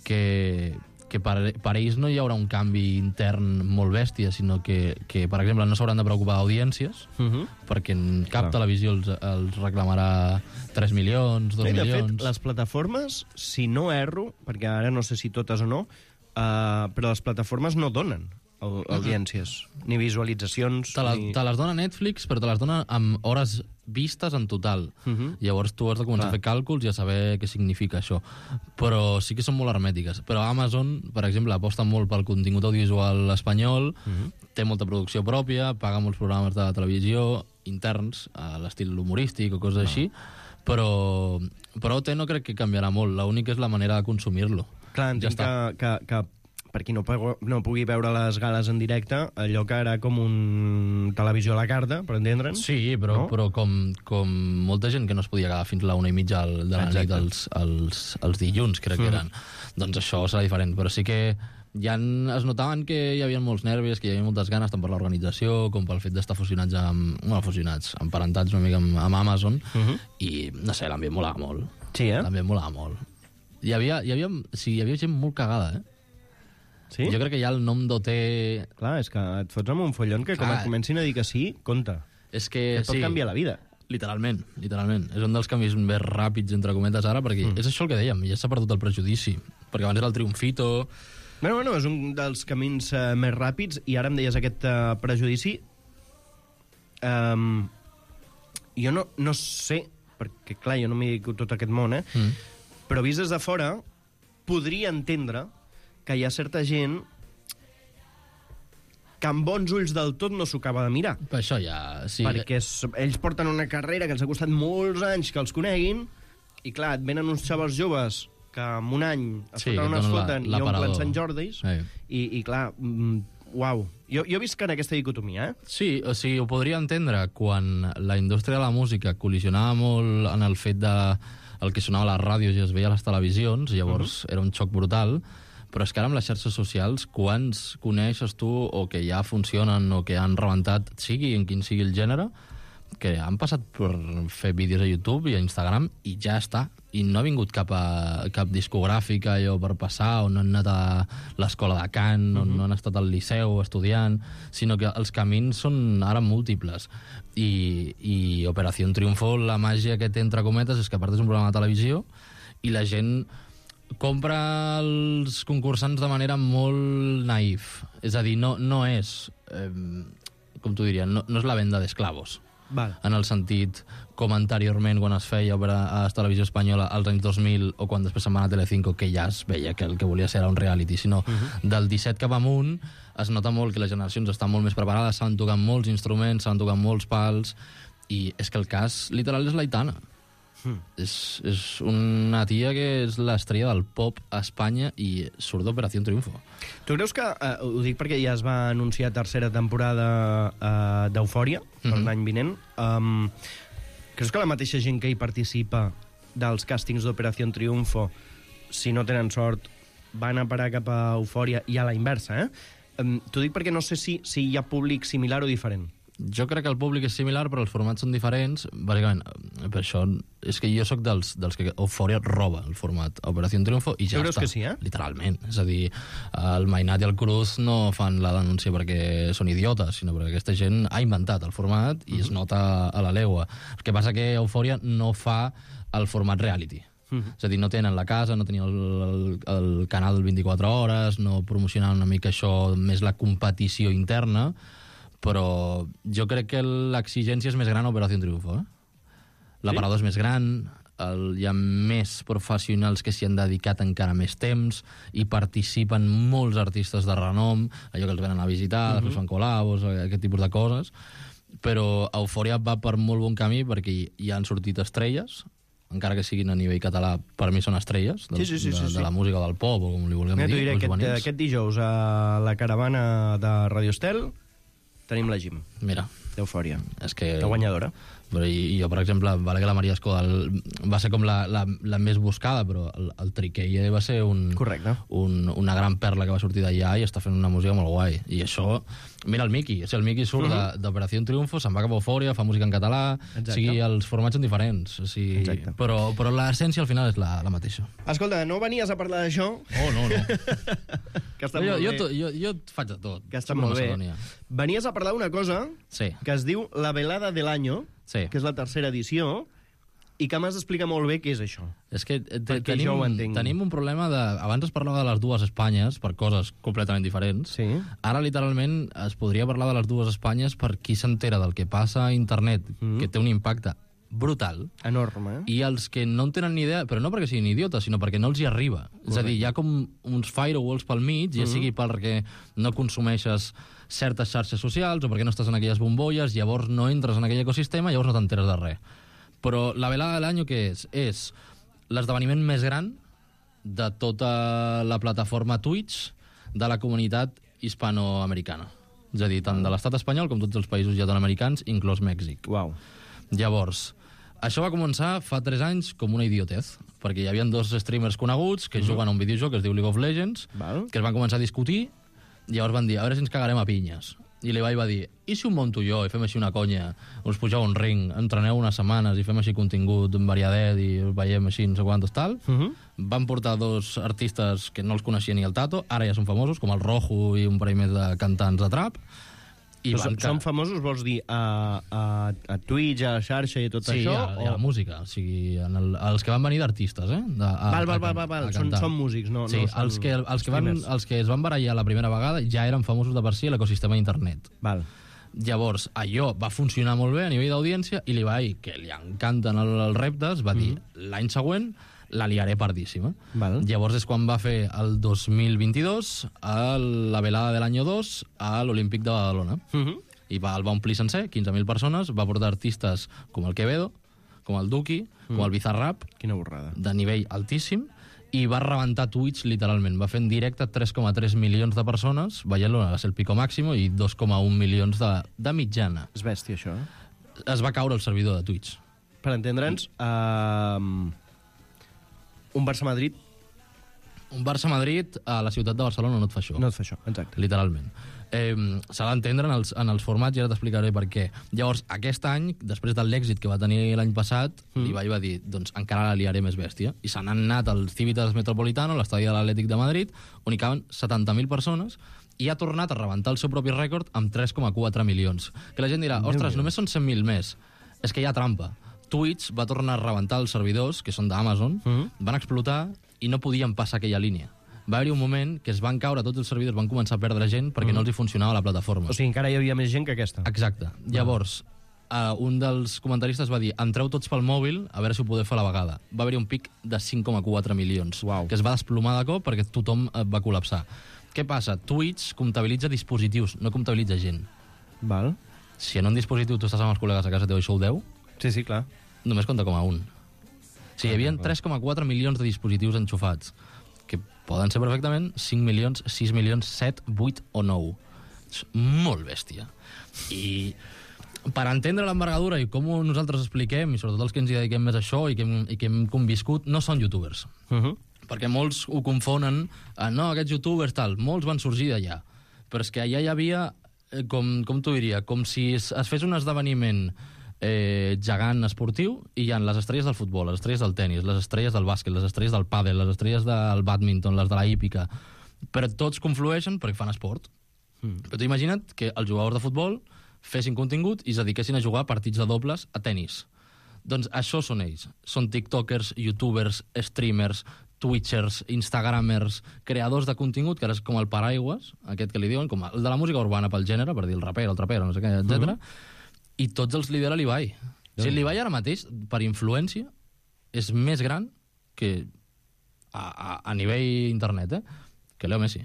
Speaker 9: que per ells no hi haurà un canvi intern molt bèstia, sinó que per exemple, no s'hauran de preocupar d'audiències, perquè cap televisió els reclamarà 3 milions, 2 milions...
Speaker 2: De fet, les plataformes, si no erro, perquè ara no sé si totes o no, però les plataformes no donen audiències, ni visualitzacions...
Speaker 9: Te les dona Netflix, però te les dona amb hores vistes en total. Llavors tu has de començar a fer càlculs i a saber què significa això. Però sí que són molt hermètiques. Però Amazon, per exemple, aposta molt pel contingut audiovisual espanyol, té molta producció pròpia, paga molts programes de televisió interns, a l'estil humorístic o coses així, però OT no crec que canviarà molt. L'únic és la manera de consumir-lo.
Speaker 2: Clar, entenc que per qui no pugui veure les gales en directe, allò que era com un televisió a la carta, per entendre'ns.
Speaker 9: Sí, però com molta gent que no es podia quedar fins a la 1:30 de la nit els dilluns, crec que eren. Doncs això serà diferent, però sí que ja es notaven que hi havia molts nervis, que hi havia moltes ganes, tant per l'organització com pel fet d'estar emparentats una mica amb Amazon, i no sé, l'ambient molava molt.
Speaker 2: Sí,
Speaker 9: L'ambient molava molt. Hi havia gent molt cagada,
Speaker 2: Sí?
Speaker 9: Jo crec que ja el nom d'OT...
Speaker 2: Clar, és que et fots amb un follon que com et comencin a dir que sí, compte.
Speaker 9: És que
Speaker 2: et pot canviar la vida.
Speaker 9: Literalment. És un dels canvis més ràpids, entre cometes, ara, perquè és això el que dèiem, ja s'ha perdut el prejudici. Perquè abans era el triomfito...
Speaker 2: Bueno, és un dels camins més ràpids, i ara em deies aquest prejudici. Jo no sé, perquè, clar, jo no m'hi dedico tot aquest món, però vist des de fora, podria entendre que hi ha certa gent que amb bons ulls del tot no s'ho acaba de mirar.
Speaker 9: Per això ja... Sí.
Speaker 2: Perquè ells porten una carrera que els ha costat molts anys que els coneguin, i clar, et venen uns xavals joves que en un any es foten i omplen Sant Jordis, i clar, uau. Jo he vist que en aquesta dicotomia,
Speaker 9: Sí, o sigui, ho podria entendre quan la indústria de la música col·lisionava molt en el fet de el que sonava a les ràdios i es veia a les televisions, llavors era un xoc brutal. Però és que ara amb les xarxes socials, quants coneixes tu o que ja funcionen o que han rebentat, sigui en quin sigui el gènere, que han passat per fer vídeos a YouTube i a Instagram i ja està. I no ha vingut cap discogràfica allò per passar, o no han anat a l'escola de cant, o no han estat al liceu estudiant, sinó que els camins són ara múltiples. I Operació Triunfo, la màgia que té, entre cometes, és que a part és un programa de televisió i la gent compra els concursants de manera molt naïf. És a dir, no és, com t'ho diria, no és la venda d'esclavos. En el sentit, com anteriorment, quan es feia a la televisió espanyola als anys 2000, o quan després se'n va a Telecinco, que ja es veia que el que volia ser era un reality, sinó del 17 cap amunt es nota molt que les generacions estan molt més preparades, saben tocar molts instruments, saben tocar molts pals, i és que el cas literal és l'Aitana. És una tia que és l'estrella del pop a Espanya i surt d'Operació Triunfo.
Speaker 2: Tu creus que, ho dic perquè ja es va anunciar tercera temporada d'Eufòria per l'any vinent, creus que la mateixa gent que hi participa dels càstings d'Operació Triunfo, si no tenen sort, van a parar cap a Eufòria, i a la inversa, t'ho dic perquè no sé si hi ha públic similar o diferent.
Speaker 9: Jo crec que el públic és similar, però els formats són diferents. Bàsicament, per això és que jo sóc dels que Eufòria roba el format Operació Triunfo i ja està.
Speaker 2: Creus que sí,
Speaker 9: Literalment. És a dir, el Mainat i el Cruz no fan la denúncia perquè són idiotes, sinó perquè aquesta gent ha inventat el format i es nota a la legua. El que passa que Eufòria no fa el format reality. És a dir, no tenen la casa, no tenien el canal 24 hores, no promocionen una mica això, més la competició interna, però jo crec que l'exigència és més gran a Operació Triunfo. L'aparador és més gran, hi ha més professionals que s'hi han dedicat encara més temps i participen molts artistes de renom, allò que els venen a visitar, després fan col·labos, aquest tipus de coses, però Eufòria va per molt bon camí perquè hi han sortit estrelles, encara que siguin a nivell català, per mi són estrelles de la música del pop, o com li vulguem dir.
Speaker 2: T'ho diré, aquest dijous a la caravana de Radio Estel tenim la Jim.
Speaker 9: Mira.
Speaker 2: D'Eufòria.
Speaker 9: És que...
Speaker 2: La guanyadora.
Speaker 9: Però jo, per exemple, vale que la Maria Escoda va ser com la més buscada, però el Triqueia va ser una gran perla que va sortir d'allà i està fent una música molt guai. I això... Mira el Miki. O sigui, el Miki surt d'Operació Triunfo, se'n va cap a Eufòria, fa música en català... O sigui, els formats són diferents. O sigui, però l'essència al final és la mateixa.
Speaker 2: Escolta, no venies a parlar d'això?
Speaker 9: Oh, no.
Speaker 2: Que està molt bé.
Speaker 9: Jo faig de tot.
Speaker 2: Que està molt bé. Venies a parlar d'una cosa que es diu La Velada del Año, que és la tercera edició, i que m'has d'explicar molt bé què és això.
Speaker 9: És que tenim un problema de... Abans es parlava de les dues Espanyes per coses completament diferents.
Speaker 2: Sí.
Speaker 9: Ara, literalment, es podria parlar de les dues Espanyes per qui s'entera del que passa a internet, que té un impacte brutal.
Speaker 2: Enorme.
Speaker 9: I els que no en tenen ni idea, però no perquè siguin idiotes, sinó perquè no els hi arriba. És a dir, hi ha com uns firewalls pel mig, ja sigui perquè no consumeixes certes xarxes socials o perquè no estàs en aquelles bombolles, llavors no entres en aquell ecosistema, llavors no t'enteres de res. Però la velada de l'any què és? És l'esdeveniment més gran de tota la plataforma Twitch de la comunitat hispanoamericana. És a dir, tant de l'estat espanyol com tots els països llatinoamericans, inclòs Mèxic.
Speaker 2: Uau.
Speaker 9: Llavors, això va començar fa 3 anys com una idiotez, perquè hi havia 2 streamers coneguts que juguen a un videojoc que es diu League of Legends, que es van començar a discutir, i llavors van dir, a veure si ens cagarem a pinyes. I l'Ibai va dir, i si un monto jo i fem així una conya, us pugeu un ring, entreneu unes setmanes i fem així contingut variadet i veiem així no sé quantos tal. Van portar 2 artistes que no els coneixia ni el Tato, ara ja són famosos, com el Rojo i un parell més de cantants de trap.
Speaker 2: Són famosos, vols dir, a Twitch, a la xarxa i tot això?
Speaker 9: Sí, a la música. O sigui, els que van venir d'artistes,
Speaker 2: Val. Són músics, no?
Speaker 9: Sí, els que es van barallar la primera vegada ja eren famosos de per si a l'ecosistema d'internet.
Speaker 2: Val.
Speaker 9: Llavors, allò va funcionar molt bé a nivell d'audiència i l'Ibai, que li encanten els reptes, va dir, l'any següent la liaré pardíssima. Llavors és quan va fer el 2022 la velada de l'any 2 a l'Olímpic de Badalona. I el va omplir sencer, 15.000 persones, va portar artistes com el Quevedo, com el Duki, com el Bizarrap,
Speaker 2: quina borrada,
Speaker 9: de nivell altíssim, i va rebentar Twitch literalment. Va fer en directe 3,3 milions de persones, veient-lo, va ser el pico màximo, i 2,1 milions de mitjana.
Speaker 2: És bèstia, això.
Speaker 9: Es va caure el servidor de Twitch.
Speaker 2: Per entendre'ns, un Barça-Madrid?
Speaker 9: Un Barça-Madrid a la ciutat de Barcelona no et fa això.
Speaker 2: No et fa això, exacte.
Speaker 9: Literalment. S'ha d'entendre en els formats i ara t'explicaré per què. Llavors, aquest any, després de l'èxit que va tenir l'any passat, l'Ibai va dir, doncs encara la liaré més bèstia. I se n'han anat al Civitas Metropolitano, l'estadi de l'Atlètic de Madrid, on hi caben 70.000 persones, i ha tornat a rebentar el seu propi rècord amb 3,4 milions. Que la gent dirà, ostres, només són 100.000 més. És que hi ha trampa. Twitch va tornar a rebentar els servidors, que són d'Amazon, van explotar i no podien passar aquella línia. Va haver-hi un moment que es van caure tots els servidors, van començar a perdre gent perquè no els hi funcionava la plataforma.
Speaker 2: O sigui, encara hi havia més gent que aquesta.
Speaker 9: Exacte. Llavors, un dels comentaristes va dir, entreu tots pel mòbil a veure si ho podeu fer a la vegada. Va haver-hi un pic de 5,4 milions, que es va desplomar de cop perquè tothom va col·lapsar. Què passa? Twitch comptabilitza dispositius, no comptabilitza gent.
Speaker 2: Val.
Speaker 9: Si en un dispositiu tu estàs amb els col·legues a casa teu i sou 10...
Speaker 2: Sí, clar.
Speaker 9: Només compta com a un. O sigui, hi havia 3,4 milions de dispositius enxufats, que poden ser perfectament 5 milions, 6 milions, 7, 8 o 9. És molt bèstia. I per entendre l'envergadura i com nosaltres expliquem, i sobretot els que ens hi dediquem més a això i que hem conviscut, no són youtubers. Perquè molts ho confonen, no, aquests youtubers tal, molts van sorgir d'allà. Però és que allà hi havia, com t'ho diria, com si es fes un esdeveniment gegant esportiu i hi ha les estrelles del futbol, les estrelles del tennis, les estrelles del bàsquet, les estrelles del pàdel, les estrelles del bàdminton, les de la hípica, però tots conflueixen perquè fan esport. Però tu imagina't que els jugadors de futbol fessin contingut i es dediquessin a jugar partits de dobles a tennis. Doncs això són ells. Són tiktokers, youtubers, streamers, twitchers, instagramers, creadors de contingut, que ara és com el paraigües, aquest que li diuen, com el de la música urbana pel gènere, per dir el rapero, el trapero, no sé què, etc. I tots els lidera l'Ibai. O sigui, l'Ibai ara mateix, per influència, és més gran que a nivell internet, que Leo Messi.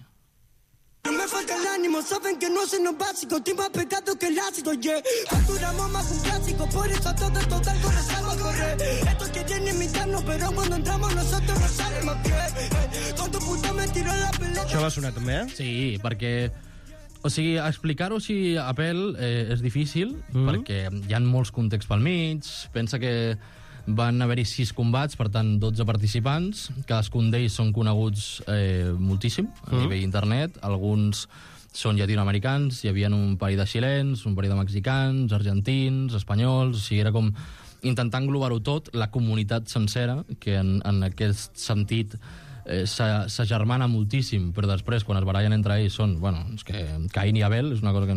Speaker 8: No me falta el ánimo, saben que no sé lo básico, estoy más pecado que el ácido, yeah. Facturamos más un clásico, por eso todo total con salgo a correr. Estos quieren imitarnos, pero cuando entramos nosotros no sale más que. Con tu puta me tiró la pelota.
Speaker 2: Això va sonar també,
Speaker 9: Sí, perquè O sigui, explicar-ho així a pèl és difícil, perquè hi ha molts contexts pel mig. Pensa que van haver-hi 6 combats, per tant, 12 participants. Cadascun d'ells són coneguts moltíssim a nivell internet. Alguns són llatinoamericans, hi havia un parell de xilens, un parell de mexicans, argentins, espanyols... O sigui, era com intentar englobar-ho tot, la comunitat sencera, que en aquest sentit s'agermana moltíssim, però després, quan es barallen entre ells, són, bueno, és que Caín i Abel, és una cosa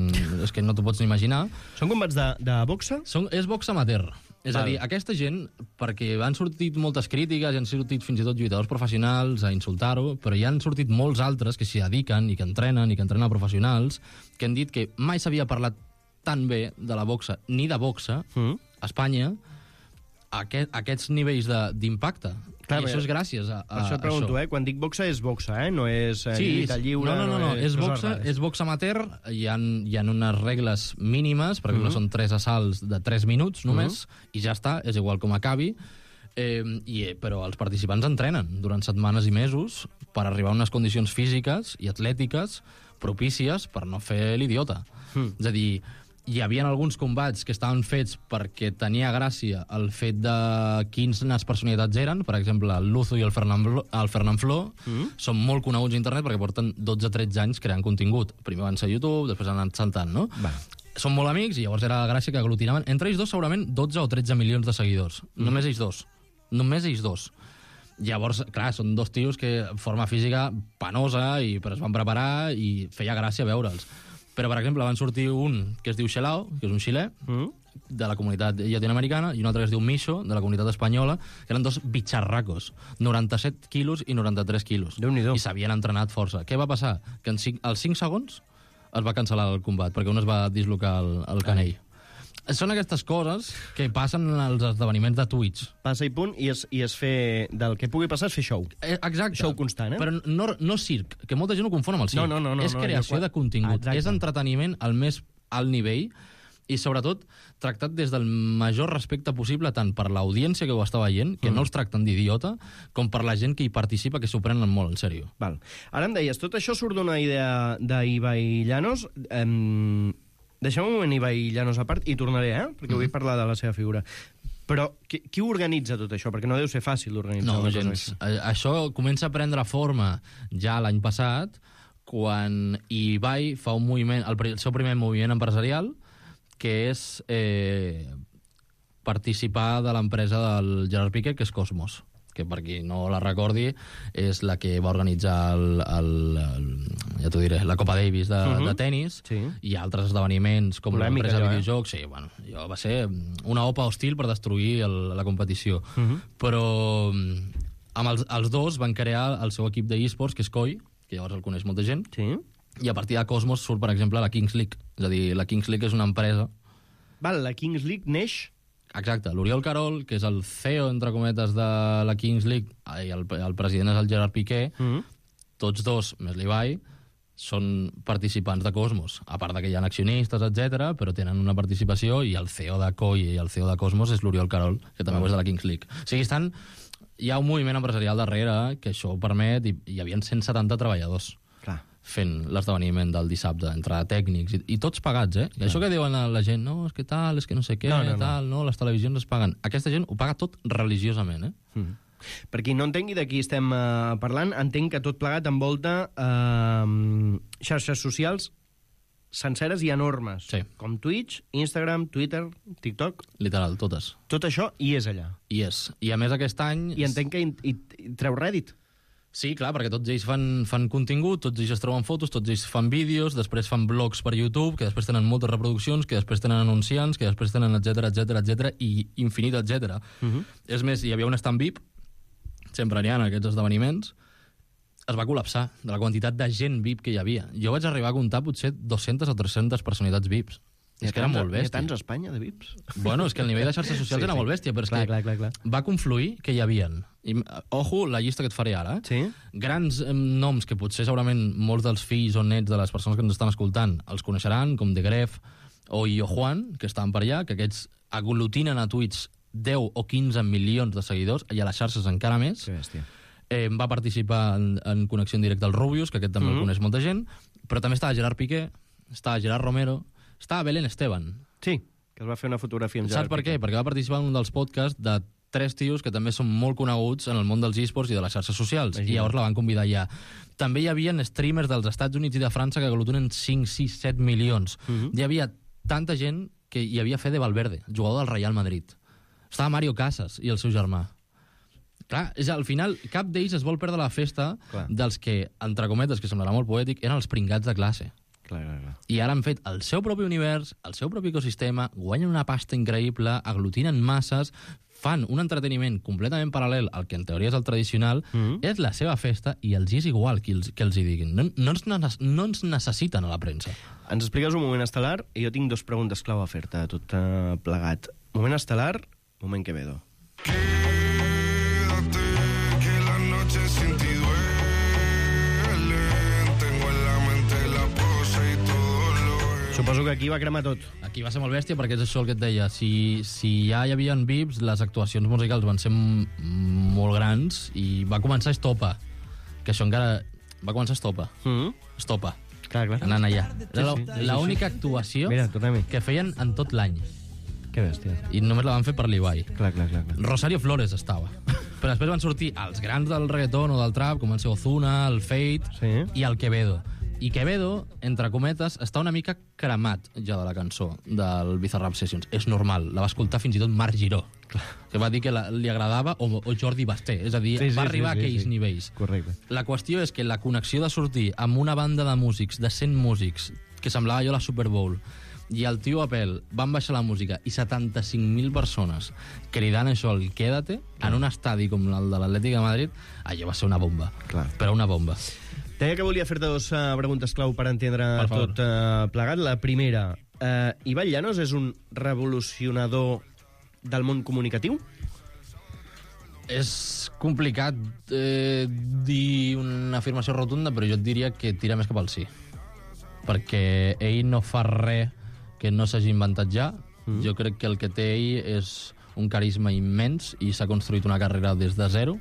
Speaker 9: que no t'ho pots ni imaginar.
Speaker 2: Són combats de boxa?
Speaker 9: És boxa amateur. És a dir, aquesta gent, perquè han sortit moltes crítiques, han sortit fins i tot lluitadors professionals a insultar-ho, però hi han sortit molts altres que s'hi dediquen i que entrenen professionals, que han dit que mai s'havia parlat tan bé de la boxa, ni de boxa, a Espanya, a aquests nivells d'impacte. I això és gràcies a
Speaker 2: per això et pregunto, quan dic boxa és boxa, no és lluita lliure...
Speaker 9: No, és boxa amateur, hi ha unes regles mínimes, per exemple, són 3 assalts de 3 minuts només, i ja està, és igual com acabi, però els participants entrenen durant setmanes i mesos per arribar a unes condicions físiques i atlètiques propícies per no fer l'idiota. És a dir, hi havia alguns combats que estaven fets perquè tenia gràcia el fet de quines personalitats eren. Per exemple, el Luzo i el Fernand Flo són molt coneguts a internet perquè porten 12-13 anys creant contingut. Primer van ser a YouTube, després han anat saltant, no? Són molt amics i llavors era la gràcia que aglutinaven. Entre ells dos, segurament, 12 o 13 milions de seguidors. Només ells dos. Només ells dos. Llavors, clar, són dos tios que forma física penosa, però es van preparar i feia gràcia veure'ls. Però, per exemple, van sortir un que es diu Xelao, que és un xilè, de la comunitat llatinoamericana, i un altre que es diu Micho, de la comunitat espanyola, que eren dos bitxarracos, 97 quilos i 93 quilos.
Speaker 2: Déu-n'hi-do.
Speaker 9: I s'havien entrenat força. Què va passar? Que als 5 segons es va cancel·lar el combat, perquè un es va dislocar el canell. Són aquestes coses que passen als esdeveniments de Twitch.
Speaker 2: Passa i punt, i és fer... Del que pugui passar és fer show.
Speaker 9: Exacte.
Speaker 2: Show constant,
Speaker 9: Però no circ, que molta gent ho confon amb el circ.
Speaker 2: No.
Speaker 9: És creació de contingut. És entreteniment al més alt nivell i, sobretot, tractat des del major respecte possible tant per l'audiència que ho està veient, que no els tracten d'idiota, com per la gent que hi participa, que s'ho prenen molt en sèrio.
Speaker 2: Val. Ara em deies, tot això surt d'una idea d'Ibai Llanos. Deixem un moment Ibai Llanos a part i tornaré, perquè vull parlar de la seva figura. Però qui organitza tot això? Perquè no deu ser fàcil d'organitzar.
Speaker 9: No, gens. Això comença a prendre forma ja l'any passat, quan Ibai fa un moviment, el seu primer moviment empresarial, que és participar de l'empresa del Gerard Piqué, que és Cosmos, que per qui no la recordi és la que va organitzar ja t'ho diré, la Copa Davis de tennis, i altres esdeveniments com l'empresa de videojocs. Sí, bueno, va ser una opa hostil per destruir la competició. Però amb els dos van crear el seu equip d'eSports, que és Koi, que llavors el coneix molta gent, i a partir de Cosmos surt, per exemple, la Kings League. És a dir, la Kings League és una empresa...
Speaker 2: La Kings League neix...
Speaker 9: Exacte, l'Oriol Carol, que és el CEO, entre cometes, de la Kings League, i el president és el Gerard Piqué, tots dos, més l'Ibai, són participants de Cosmos. A part que hi ha accionistes, etc, però tenen una participació, i el CEO de COI i el CEO de Cosmos és l'Oriol Carol, que també és de la Kings League. O sigui, hi ha un moviment empresarial darrere que això ho permet, i hi havia 170 treballadors fent l'esdeveniment del dissabte, entre tècnics, i tots pagats, I això que diuen a la gent, no, és que tal, és que no sé què, les televisions es paguen. Aquesta gent ho paga tot religiosament,
Speaker 2: Per qui no entengui de qui estem parlant, entenc que tot plegat envolta xarxes socials senceres i enormes, com Twitch, Instagram, Twitter, TikTok...
Speaker 9: Literal, totes.
Speaker 2: Tot això hi és allà.
Speaker 9: Hi és. I a més aquest any...
Speaker 2: I entenc que hi treu rèdit.
Speaker 9: Sí, clar, perquè tots ells fan contingut, tots ells es troben fotos, tots ells fan vídeos, després fan blogs per YouTube, que després tenen moltes reproduccions, que després tenen anunciants, que després tenen etc i infinit, etc. És més, hi havia un stand VIP, sempre n'hi ha en aquests esdeveniments, es va col·lapsar de la quantitat de gent VIP que hi havia. Jo vaig arribar a comptar potser 200 o 300 personalitats VIPs. És que era molt bèstia.
Speaker 2: Hi ha tants a Espanya, de VIPs?
Speaker 9: Bueno, és que el nivell de xarxes socials era molt bèstia, però és que va confluir que hi havien. I, ojo, la llista que et faré ara. Grans noms que potser segurament molts dels fills o nets de les persones que ens estan escoltant els coneixeran, com De Gref o Io Juan, que estaven per allà, que aquests aglutinen a Twitch 10 o 15 milions de seguidors, i a les xarxes encara més.
Speaker 2: Que bèstia.
Speaker 9: Va participar en connexió en directe al Rubius, que aquest també el coneix molta gent, però també estava Gerard Piqué, estava Gerard Romero, estava Belén Esteban.
Speaker 2: Sí, que es va fer una fotografia amb Gerard.
Speaker 9: Saps per què? Perquè va participar en un dels podcasts de 3 tios que també són molt coneguts en el món dels esports i de les xarxes socials. I llavors la van convidar allà. També hi havia streamers dels Estats Units i de França que aglutinen 5, 6, 7 milions. Hi havia tanta gent que hi havia Fede Valverde, jugador del Real Madrid. Estava Mario Casas i el seu germà. Clar, al final, cap d'ells es vol perdre la festa dels que, entre cometes, que semblarà molt poètic, eren els pringats de classe.
Speaker 2: Clar.
Speaker 9: I ara han fet el seu propi univers, el seu propi ecosistema, guanyen una pasta increïble, aglutinen masses, fan un entreteniment completament paral·lel al que en teoria és el tradicional, és la seva festa i els és igual que els hi diguin. No ens necessiten a la premsa.
Speaker 2: Ens expliques un moment estel·lar i jo tinc 2 preguntes clau a fer-te, tot plegat. Moment estel·lar, moment Quevedo. Suposo que aquí va cremar tot.
Speaker 9: Aquí va ser molt bèstia perquè és això el que et deia. Si ja hi havia VIPs, les actuacions musicals van ser molt grans i va començar Estopa. Que això encara... Va començar Estopa. Estopa.
Speaker 2: Clar.
Speaker 9: Anant allà. Era l'única actuació que feien en tot l'any.
Speaker 2: Que bèstia.
Speaker 9: I només la van fer per l'Ibai.
Speaker 2: Clar.
Speaker 9: Rosario Flores estava. Però després van sortir els grans del reggaeton o del trap, com van ser Ozuna, el Fate i el Quevedo. I Quevedo, entre cometes, està una mica cremat ja de la cançó del Bizarrap Sessions. És normal, la va escoltar fins i tot Marc Giró, que va dir que li agradava, o Jordi Basté, és a dir, va arribar a aquells nivells.
Speaker 2: Correcte.
Speaker 9: La qüestió és que la connexió de sortir amb una banda de músics, de 100 músics, que semblava allò la Super Bowl, i el tio Apel van baixar la música i 75.000 persones cridant això, el Quédate, en un estadi com el de l'Atlètic de Madrid, allò va ser una bomba. Però una bomba.
Speaker 2: Deia que volia fer-te 2 preguntes clau per entendre tot plegat. La primera, Ibai Llanos és un revolucionador del món comunicatiu?
Speaker 9: És complicat dir una afirmació rotunda, però jo et diria que tira més cap al sí. Perquè ell no fa res que no s'hagi inventat ja. Jo crec que el que té ell és un carisma immens i s'ha construït una carrera des de zero,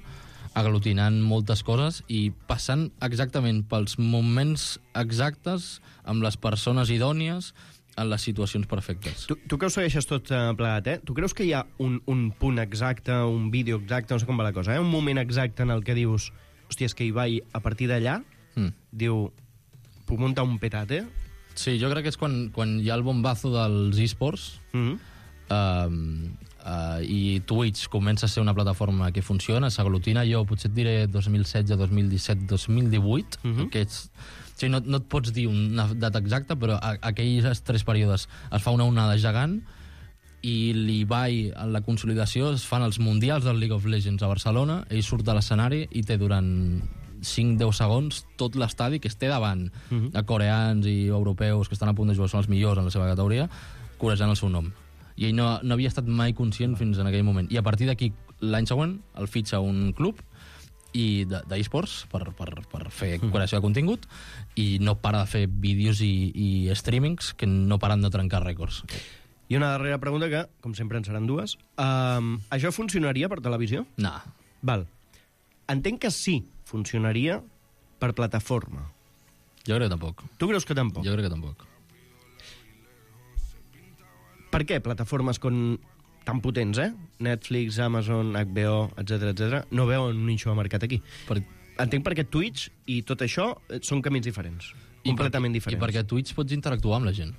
Speaker 9: aglutinant moltes coses i passant exactament pels moments exactes amb les persones idònies en les situacions perfectes.
Speaker 2: Tu que ho segueixes tot plegat, Tu creus que hi ha un punt exacte, un vídeo exacte, no sé com va la cosa, un moment exacte en el que dius, hòstia, és que Ibai, a partir d'allà, diu, puc muntar un petate?
Speaker 9: Sí, jo crec que és quan hi ha el bombazo dels esports, i Twitch comença a ser una plataforma que funciona, s'aglutina, jo potser et diré 2016, 2017, 2018, que no et pots dir una data exacta, però aquells 3 períodes es fa una onada gegant i l'Ibai, en la consolidació, es fan els mundials del League of Legends a Barcelona, ell surt de l'escenari i té durant 5-10 segons tot l'estadi que es té davant de coreans i europeus que estan a punt de jugar, són els millors en la seva categoria, corejant el seu nom. I ell no havia estat mai conscient fins en aquell moment. I a partir d'aquí, l'any següent, el fitxa un club d'esports per fer creació de contingut i no para de fer vídeos i streamings que no paren de trencar rècords.
Speaker 2: I una darrera pregunta que, com sempre, en seran 2. Això funcionaria per televisió?
Speaker 9: No.
Speaker 2: Val. Entenc que sí funcionaria per plataforma.
Speaker 9: Jo crec que tampoc.
Speaker 2: Tu creus que tampoc?
Speaker 9: Jo crec que tampoc.
Speaker 2: Per què plataformes tan potents, Netflix, Amazon, HBO, etc no veuen un nicho de mercat aquí? Entenc perquè Twitch i tot això són camins diferents, completament diferents.
Speaker 9: I perquè Twitch pots interactuar amb la gent.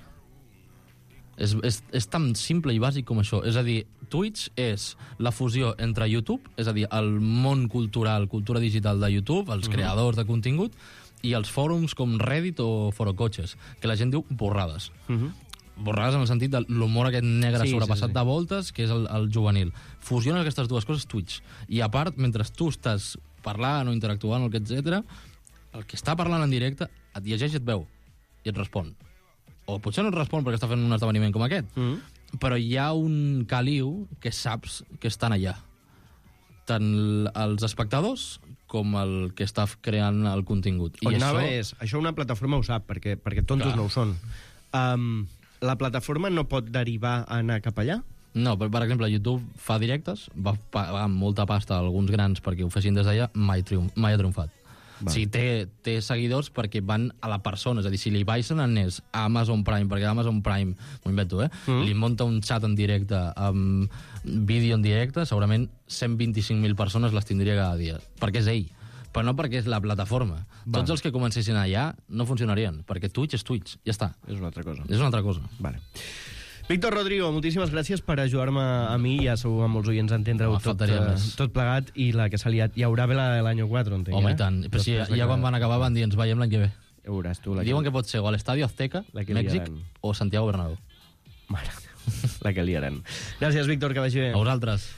Speaker 9: És tan simple i bàsic com això. És a dir, Twitch és la fusió entre YouTube, és a dir, el món cultural, cultura digital de YouTube, els creadors de contingut, i els fòrums com Reddit o Forocoches, que la gent diu borrades. Borrades en el sentit de l'humor aquest negre sobrepassat de voltes, que és el juvenil. Fusiones aquestes 2 coses Twitch. I a part, mentre tu estàs parlant o interactuant, etc., el que està parlant en directe et llegeix i et veu, i et respon. O potser no et respon perquè està fent un esdeveniment com aquest, però hi ha un caliu que saps que estan allà. Tant els espectadors com el que està creant el contingut.
Speaker 2: On anava és, això una plataforma ho sap, perquè tontos no ho són. La plataforma no pot derivar a anar cap allà?
Speaker 9: No, per exemple, YouTube fa directes, va pagar molta pasta a alguns grans perquè ho fessin des d'allà, mai ha triomfat. O sigui, té seguidors perquè van a la persona. És a dir, si li Bison anés a Amazon Prime, perquè Amazon Prime, m'ho invento, li munta un xat en directe amb vídeo en directe, segurament 125.000 persones les tindria cada dia. Perquè és ell. Però no perquè és la plataforma. Tots els que comencessin allà no funcionarien, perquè Twitch és Twitch, ja està.
Speaker 2: És una altra cosa.
Speaker 9: És una altra cosa.
Speaker 2: Vale. Víctor Rodrigo, moltíssimes gràcies per ajudar-me a mi i ja segur a molts oients a entendre-ho tot plegat, i la que s'ha liat. Hi haurà bé l'any 4, entenc.
Speaker 9: Home, i tant. Però sí, ja quan van acabar van dir ens veiem l'any que ve.
Speaker 2: Ja veuràs tu.
Speaker 9: Diuen que pot ser o a l'Estadio Azteca, Mèxic, o Santiago Bernabéu.
Speaker 2: Mare, la que liaran. Gràcies, Víctor, que vagi bé.
Speaker 9: A vosaltres.